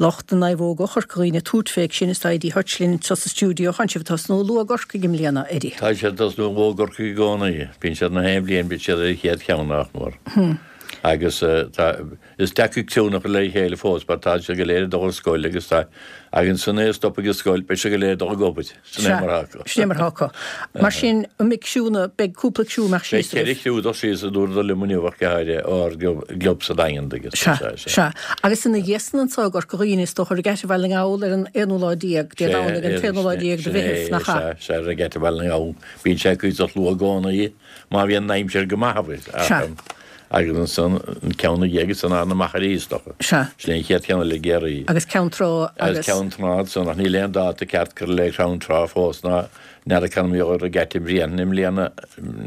lucht na naomhóg ó Chorca Dhuibhne ag tabhairt fé sin is tá Eddie Hutch linn anseo sa stiúideo. Tánn sibh ag tosnú luath i gCorcaigh i mbliana, Eddie. Tá siad ag tosnú luath i gCorcaigh i gcónaí. Bíonn siad na haon bhliain bíonn siad ar an chéad cheann nach mór. Agus tá Is deacair criúnna a chur le chéile fós mar tá siad go léir ag dul ar scoil agus tá ach ansan é a stop ag an scoil beidh siad go léir ag dul ag obair. Sin é mar atá acu. Sin é mar atá acu. Mar sin, an mbeidh criúnna, beidh cúpla criú amach síos Beidh 4 chriú ag dul síos a dúradar liom inniu ach go háirithe ár gclub sa Daingean agus Sea, sea. Agus ina dhiaidh san anso i gCorca Dhuibhne is dócha Regatta Bhaile na nGall ar an aonú lá déag, Dé Domhnaigh an t-aonú lá déag de Mheitheamh, nach ea? Sea, sea, Regatta Bhaile na nGall. Bíonn sé cuíosach luath i gcónaí má bhíonn an aimsir go maith, Sea. Agus ansan an ceann ina dhiaidh san ná na Machairí is dócha. Sea. Sin é an chéad cheann eile i gCiarraí. Agus Ceann Trá agus. Agus Ceann Trá ansan ach níl aon dáta ceart curtha le Ceann Trá fós ná n'fheadar cá mbeidh an regatta i mbliana i mbliana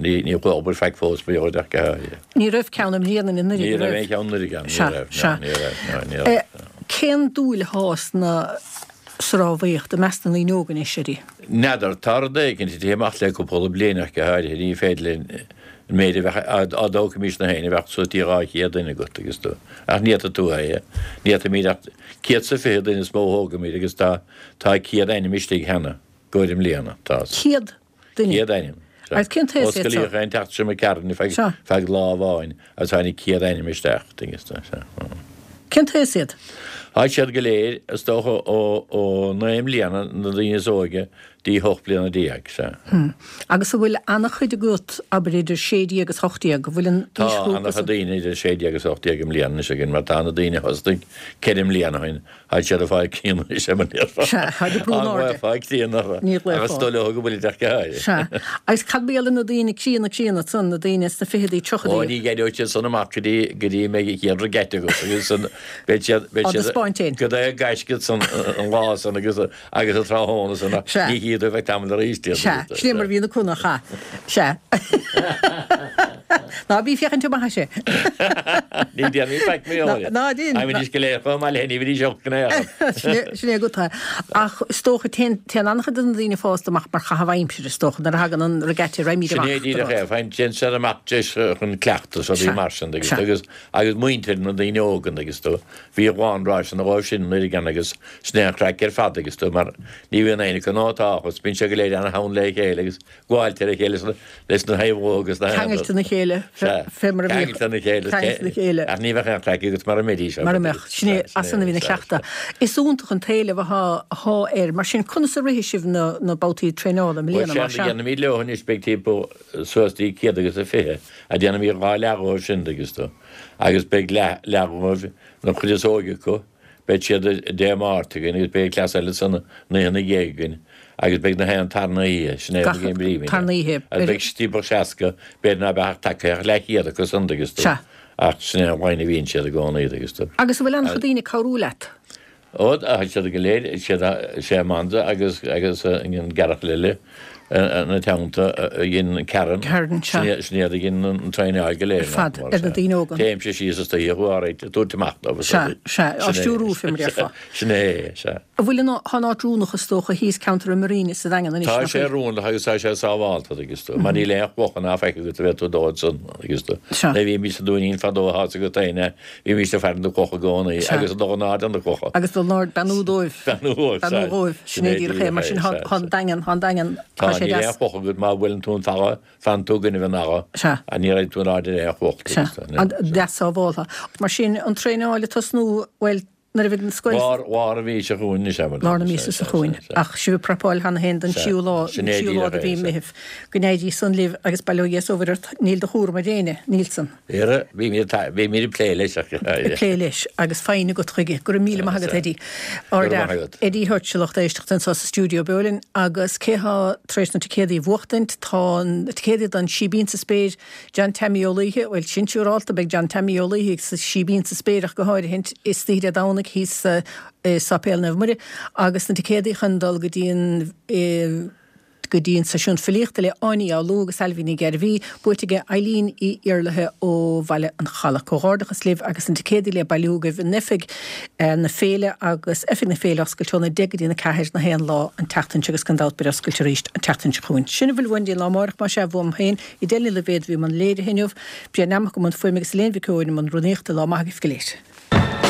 ní ní chuaigh obair faic fós ba dheoidh ach go háirithe. Ní raibh ceann i mbliana anuraidh, Ní raibh aon cheann anuraidh ann, ní Sea, raibh, sea. no, ní raibh, no, ní raibh, no. Cén dúil athá sna, sa rámhaíocht i measc na ndaoine óga anois, Eddie? N'fheadar, tá rud éicint ag tití amach le cúpla bliain ach go háirithe, ní féidir linn an méid a bheadh, dá dtógfaimis na haon, a bheadh suas dtí 200 duine agat agus tú, ach ní fhéadfaidh tú é, ní fhéadfaimid ach 120 duine is mó a thógaimid agus tá, tá 100 ainm istigh cheana, gcomhair i mbliana, tá. 100 duine? 100 ainm. Agus cén t-aos iad seo? Osclaíodh é an tseachtain seo imigh tharainn feadh lá amháin agus tháinig 100 ainm isteach, tuigeann tú, sea. Cén t-aos iad? Tá siad go léir, is dócha, ó 9 mbliana, na daoine is óige, dtí 18 bliana, sea. Agus an bhfuil an-chuid agat, abair, idir 16 agus 18, an bhfuil an Tá an-chuid daoine idir 16 agus 18 i mbliana anois againn, mar tá na daoine a thosnaigh 4 mbliana ó shin, Tá siad ag fáil críonna anois ar mo ndéarfá. Sea, tá ag brú in airde. Ag fáil críonna orthu. Ní ghlaofá. Agus is dóigh leo go bhfuilid ach go háirithe. Sea. Agus cad mar gheall ar na daoine críonna críonna san, na daoine sna fichidí, tríochaidí? Ó, ní éireoidh siad san amach go dtí, go dtí mbeidh an chéad regatta agat agus san, beidh siad, beidh Á siad, dtaispeáint féin. go dtí gaisce san, an lá san agus, agus an tráthnóna san ach Sea. ní chífidh tú feadh tamaill arís iad. Sea, sin é mar a bhí na cona, cha. Sea. Ná bí ag féachaint amach as é. Ní déanfaidh faic mé ó. Ná déan. Táimid go léir chomh maith le ní bhídís olc in aon chor. Sin é agat é. Ach is dócha, téann an-chuid de na daoine fásta amach mar chaitheamh aimsire, is dócha, nuair a thagann an regatta, raghaimid amach. Sin é díreach é. Faigheann téann siad amach deis chun cleachtas, rudaí mar sin agus agus agus muintir na daoine óga agus tú. Bhí a lán ráiseanna dhóibh sin nuair a gceann agus sin é an chraic ar fad agus tú mar ní bhíonn éinne acu nó tá agus bíonn siad go léir ana-theann le chéile agus gabháilt ar a chéile leis na thaobhóga agus na Ceangailte na chéile, fé mar a bhíodh. Ceangailte na chéile. Ceangailte na chéile. Ach ní bheadh aon chraic agat mara mbeidís. Mara mbeadh. Sin é, as san a bhí na cleachtadh. Is iontach an t-éileamh athá, athá air. Mar sin, conas a rithfidh sibh na, na babhtaí traenála i mbliana, mar sea? Déanfaimid leo anois, beidh timpeall suas dtí 120, a déanfaimid 2 leath dhóibh sin, dtuigeann tú. Agus beidh leath, leath dhóibh, na cuid is óige acu, Beidh siad Dé Máirt againn agus beidh cleas eile san oíche ina dhiaidh againn agus beidh na haon tarna oíche, sin é Gach an bpríomh tarna oíche. Agus beidh timpeall 60, b'fhéidir ná beadh ach tagtha ach leathchéad acu san dtuigeann tú. Sea. Ach sin é an line a bhíonn siad i gcónaí dtuigeann tú. Agus an bhfuil an-chuid daoine ag cabhrú leat? Ó, tá siad go léir, siad, sé Amanda agus, agus an gearrchaile eile ina teannta a dhein Karen. Karen, sea. Sin iad a dhein an traenáil go léir. Ar fad, ar na daoine óga. Téimse síos istoíche chomh áirid, ag tabhairt amach dóibh. Sea, sea, á stiúrú, fé mar a déarfá. Sin é, sea. An bhfuil an, tá an áit oiriúnach is dócha thíos ceantar an Marina sa Daingean anois, nach bhfuil? Tá sé oiriúnach agus tá sé sábhálta, agus tú, mar níl aon chloch ná faic agat a bheith tú dó ansan, agus tú. Sea. Nuair a bhímís sa Dúinín fadó, tá 's agat féin é, Bhímís ag faire na clocha i gcónaí agus ag dul in airde na clocha. Agus dul in airde, beannú dóibh. Beannú dhóibh, Beannú dhóibh, sin é díreach é. Mar sin, tá an Daingean, tá an Daingean, tá sé deas. Tá, níl aon chloch agat má bhuaileann tú an falla, fanann tú i gcoinnibh an fhalla. Sea. Ach ní raghaidh tú in airde ar aon chloch. Sea, deas sábháltha. Mar sin, an traenáil ag tosnú, bhuel, nuair a bheidh an scoil. Lár, lár an mhí seo chugainn anois, abair. Lár na míosa seo chugainn. Ach sibh ag prapáil cheana féin don tríú lá, Sin é tríú lá díreach de é, mhí sea. Meithimh. Go n-éirí san libh agus bail ó Dhia is ó Mhuire ort, níl de chúram ar éinne, níl san. Ara, bímid ag plé leis ach. Ag plé leis agus foighne agat chuige. Go raibh míle maith agat Eddie. Go raibh maith agat. Eddie Hutch, lucht éisteachta anseo sa stiúideo Beo Linn agus cé thá tar éis na ticéadaí a bhuachtaint? Tá na ticéadaí don Síbín sa Spéir, John Teaimí Ó Laoithe, bhuel sin siúrálta, beidh John Teaimí Ó Laoithe sa Síbín sa Spéir ach go háirithint, istoíche Dé Domhnaigh thíos i Sáipéal Naomh Muire agus na ticéadaí chun dul go dtí an go dtí an seisiún filíochta le Áine Ní Fhoghlú agus Ailbhe Ní Ghairbhí, buaite aige Eileen Uí Iarlaithe ó Bhaile an Chalaidh. Comhghairdeachas libh agus na ticéadaí le bailiú agaibh in oifig na féile agus oifig na féile oscailte óna 10 go dtí na 4 na haon lá an tseachtain seo agus gan dabht beidh oscailte arís an tseachtain seo chugainn. Sin a bhfuil uainn dtí an lá amárach más ea uaim féin, Edel Ní Loibhéad a bhí i mbun léirithe inniu, Brian Nammock i mbun fuaime agus Elaine Mhic Eoin i mbun rúnaíochta. Lá maith agaibh go léir.